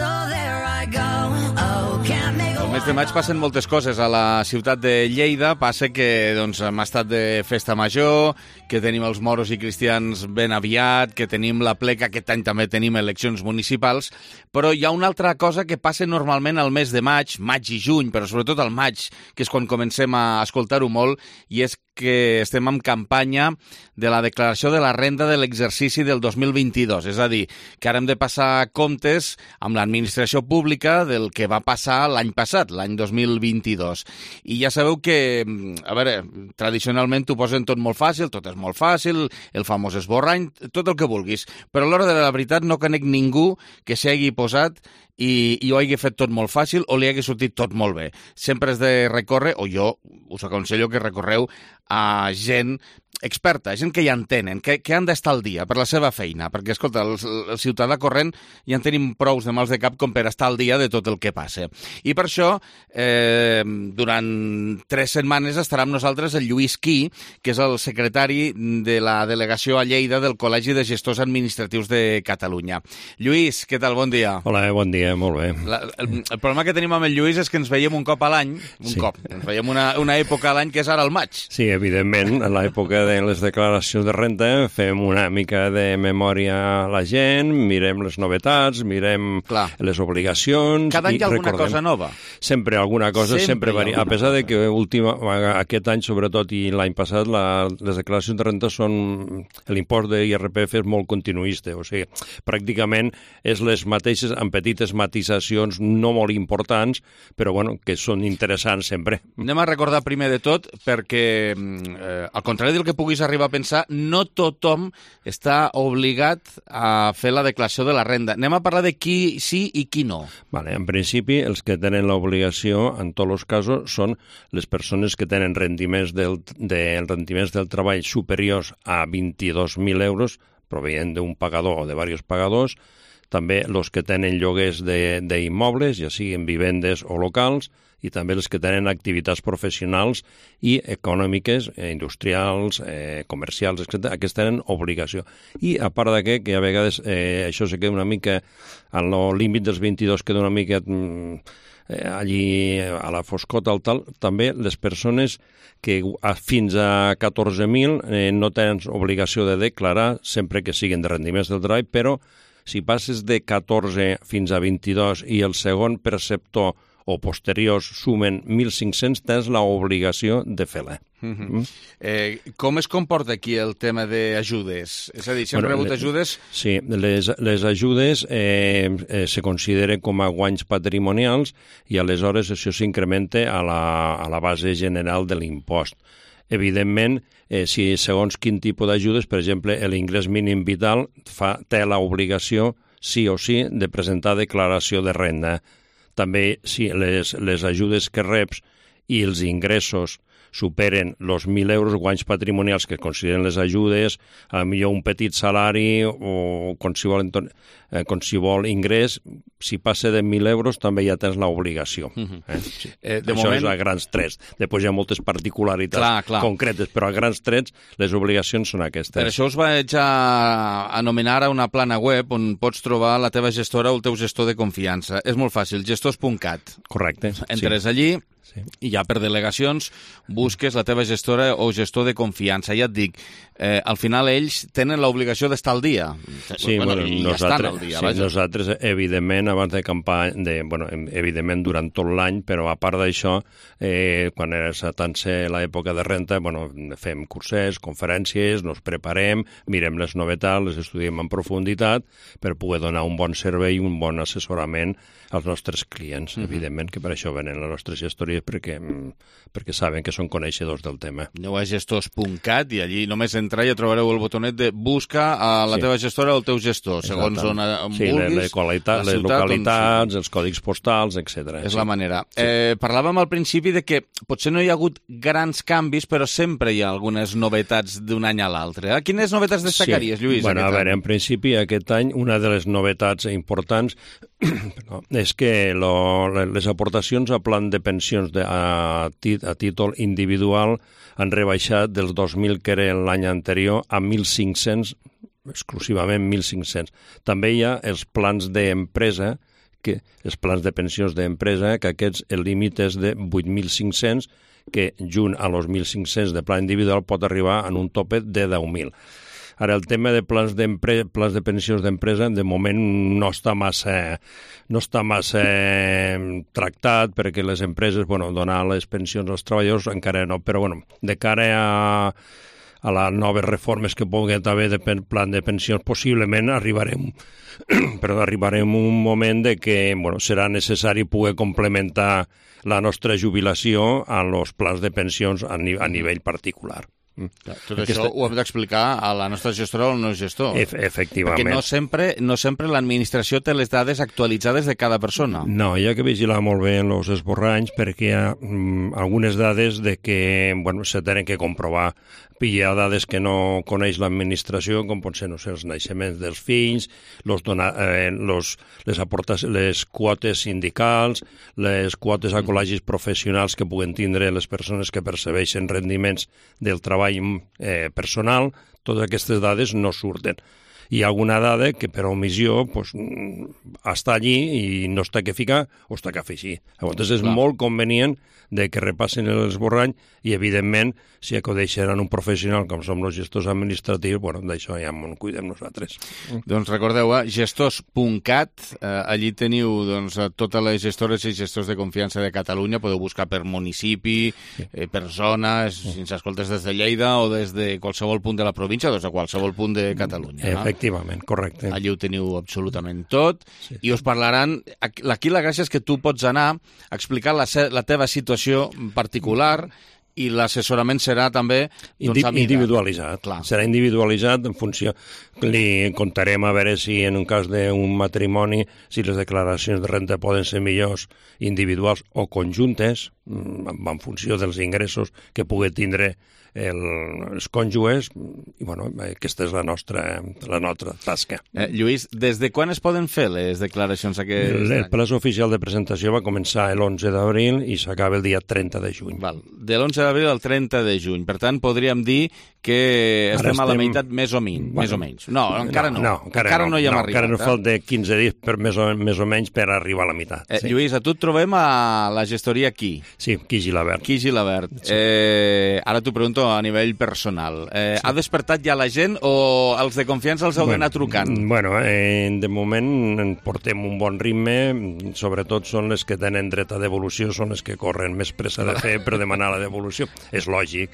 El mes de maig passen moltes coses a la ciutat de Lleida. Passa que hem estat de festa major, que tenim els moros i cristians ben aviat, que tenim la pleca, aquest any també tenim eleccions municipals, però hi ha una altra cosa que passa normalment al mes de maig i juny, però sobretot al maig, que és quan comencem a escoltar-ho molt, i és que estem en campanya de la declaració de la renda de l'exercici del 2022. És a dir, que ara hem de passar comptes amb l'administració pública del que va passar l'any passat, l'any 2022. I ja sabeu que, a veure, tradicionalment t'ho posen tot molt fàcil, tot és molt fàcil, el famós esborrany, tot el que vulguis. Però a l'hora de la veritat no conec ningú que s'hagi posat i ho hagi fet tot molt fàcil o li hagi sortit tot molt bé. Sempre has de recórrer, o jo us aconsello que recorreu a gent experta, gent que ja entenen, que han d'estar al dia per la seva feina, perquè, escolta, el ciutadà corrent ja en tenim prous de mals de cap com per estar al dia de tot el que passa. I per això, durant 3 setmanes estarà amb nosaltres el Lluís Quí, que és el secretari de la delegació a Lleida del Col·legi de Gestors Administratius de Catalunya. Lluís, què tal? Bon dia. Hola, bon dia, molt bé. El problema que tenim amb el Lluís és que ens veiem un cop a l'any, ens veiem una època a l'any que és ara el maig. Sí, evidentment, en l'època de les declaracions de renta fem una mica de memòria a la gent, mirem les novetats, mirem les obligacions... Cada any hi ha alguna cosa nova? Sempre alguna cosa, sempre varia. A pesar de que aquest any, sobretot, i l'any passat, les declaracions de renta són... L'impost de IRPF és molt continuista, o sigui, pràcticament és les mateixes, amb petites matisacions no molt importants, però, bueno, que són interessants sempre. Anem a recordar primer de tot, perquè, al contrari del que puguis arribar a pensar, no tothom està obligat a fer la declaració de la renda. Anem a parlar de qui sí i qui no. Vale, en principi, els que tenen l'obligació, en tots els casos, són les persones que tenen rendiments del treball superiors a 22.000 euros, proveient d'un pagador o de diversos pagadors, també els que tenen lloguers d'immobles, ja siguin vivendes o locals, i també els que tenen activitats professionals i econòmiques, industrials, comercials, etc. Aquests tenen obligació. I a part d'aquest, que a vegades això se queda una mica, al límit dels 22 queda una mica allí a la foscota o tal, també les persones que fins a 14.000 no tenen obligació de declarar sempre que siguin de rendiments del treball, però si passes de 14 fins a 22 i el segon perceptor o posteriors sumen 1.500, tens l'obligació de fer-la. Com es comporta aquí el tema d'ajudes? És a dir, si hem rebut ajudes... Sí, les ajudes se consideren com a guanys patrimonials i aleshores això s'incrementa a la base general de l'impost. Evidentment, si segons quin tipus d'ajudes, per exemple, l'ingrés mínim vital té l'obligació, sí o sí, de presentar declaració de renda. També, si les ajudes que reps i els ingressos superen els 1.000 euros guanys patrimonials que consideren les ajudes, potser un petit salari o qualsevol ingrés, si passa de 1.000 euros també ja tens l'obligació. Això és a grans trets. Després hi ha moltes particularitats concretes, però a grans trets les obligacions són aquestes. Per això us vaig anomenar a una plana web on pots trobar la teva gestora o el teu gestor de confiança. És molt fàcil, gestors.cat. Correcte. Entres allí i ja per delegacions busques la teva gestora o gestor de confiança. Ja et dic, al final ells tenen l'obligació d'estar al dia. Sí, nosaltres, evidentment, abans de campanya, evidentment durant tot l'any, però a part d'això, quan tant ser l'època de renta, fem cursets, conferències, nos preparem, mirem les novetats, les estudiem en profunditat per poder donar un bon servei i un bon assessorament als nostres clients, evidentment, que per això venen les nostres gestories perquè saben que són coneixedors del tema. Aneu a gestors.cat i allí només entrar i ja trobareu el botonet de busca a la teva gestora o el teu gestor, segons on vulguis, les localitats, els còdigs postals, etc. És la manera. Parlàvem al principi de que potser no hi ha hagut grans canvis, però sempre hi ha algunes novetats d'un any a l'altre. Quines novetats destacaries, Lluís? A veure, en principi, aquest any, una de les novetats importants és que les aportacions a plan de pensions a títol individual han rebaixat dels 2.000 que era l'any anterior a 1.500, exclusivament 1.500. També hi ha els plans d'empresa, els plans de pensions d'empresa, que aquests el límit és de 8.500, que junt a els 1.500 de plan individual pot arribar en un tope de 10.000. Ara, el tema de plans de pensions d'empresa, de moment no està massa tractat, perquè les empreses, donar les pensions als treballadors encara no, però de cara a les noves reformes que pugui haver de plan de pensions, possiblement arribarem a un moment de que serà necessari poder complementar la nostra jubilació a los plans de pensions a nivell particular. Tot això ho hem d'explicar a la nostra gestora o al nostre gestor. Efectivament. Perquè no sempre l'administració té les dades actualitzades de cada persona. No, hi ha que vigilar molt bé els esborranys perquè hi ha algunes dades de que se tenen que comprovar. Hi ha dades que no coneix l'administració, com pot ser, els naixements dels fills, les quotes sindicals, les quotes a col·legis professionals que puguen tindre les persones que percebeixen rendiments del treball personal. Totes aquestes dades no surten. Hi ha alguna dada que per omissió està allí i no està que ficar o està que afegir. Llavors és molt convenient de que repassin l'esborrany i, evidentment, si acudeixen a un professional com som els gestors administratius, d'això ja en cuidem nosaltres. Doncs recordeu, gestors.cat, allí teniu totes les gestores i gestors de confiança de Catalunya, podeu buscar per municipi, per zona, si ens escoltes des de Lleida o des de qualsevol punt de la província o des de qualsevol punt de Catalunya. Efectivament, correcte. Allí ho teniu absolutament tot i us parlaran... Aquí la gràcia és que tu pots anar a explicar la teva situació particular i l'assessorament serà també individualitzat. Serà individualitzat en funció... Li contarem a veure si en un cas d'un matrimoni, si les declaracions de renta poden ser millors individuals o conjuntes, en funció dels ingressos que pugui tindre els cònjuges, i bueno, aquesta és la nostra tasca. Lluís, des de quan es poden fer les declaracions aquest any? El plaç oficial de presentació va començar l'11 d'abril i s'acaba el dia 30 de juny. De l'11 d'abril al 30 de juny. Per tant, podríem dir que estem a la meitat més o menys. No, encara no. Encara no hi hem arribat. Encara no falta 15 dies més o menys per arribar a la meitat. Lluís, a tu et trobem a la gestoria Qui. Sí, Qui Gilabert. Qui Gilabert. Ara t'ho pregunto a nivell personal. Ha despertat ja la gent o els de confiança els heu d'anar trucant? Bueno, de moment portem un bon ritme, sobretot són les que tenen dret a devolució, són les que corren més pressa de fer per demanar la devolució. És lògic,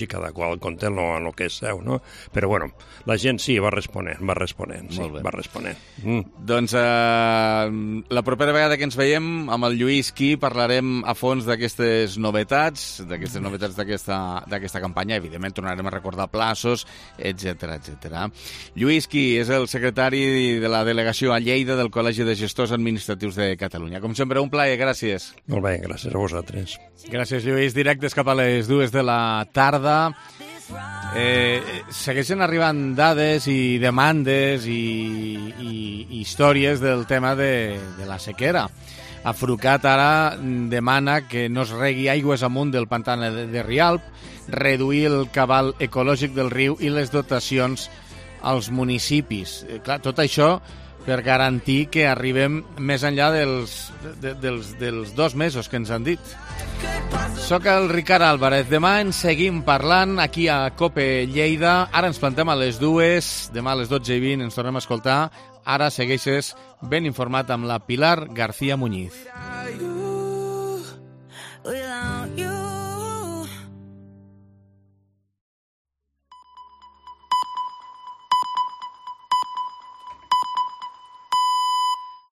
cada qual compta en el que és seu, no? Però bueno, la gent sí, va responent. Doncs la propera vegada que ens veiem amb el Lluís Qui parlarem a fons d'aquestes novetats d'aquesta campanya. Evidentment tornarem a recordar plaços, etc. Lluís Qui és el secretari de la delegació a Lleida del Col·legi de Gestors Administratius de Catalunya. Com sempre, un plaer, gràcies. Molt bé, gràcies a vosaltres. Gràcies, Lluís. Directes cap a les 2 de la tarda. Segueixen arribant dades i demandes i històries del tema de la sequera. Afrucat ara demana que no es regui aigües amunt del pantà de Rialp, reduir el cabal ecològic del riu i les dotacions als municipis. Clar, tot això per garantir que arribem més enllà dels 2 mesos que ens han dit. Soc el Ricard Álvarez. Demà en seguim parlant aquí a COPE Lleida. Ara ens plantem a les 2, demà a les 12:20 ens tornem a escoltar. Ara segueixes ben informat amb la Pilar García Muñiz.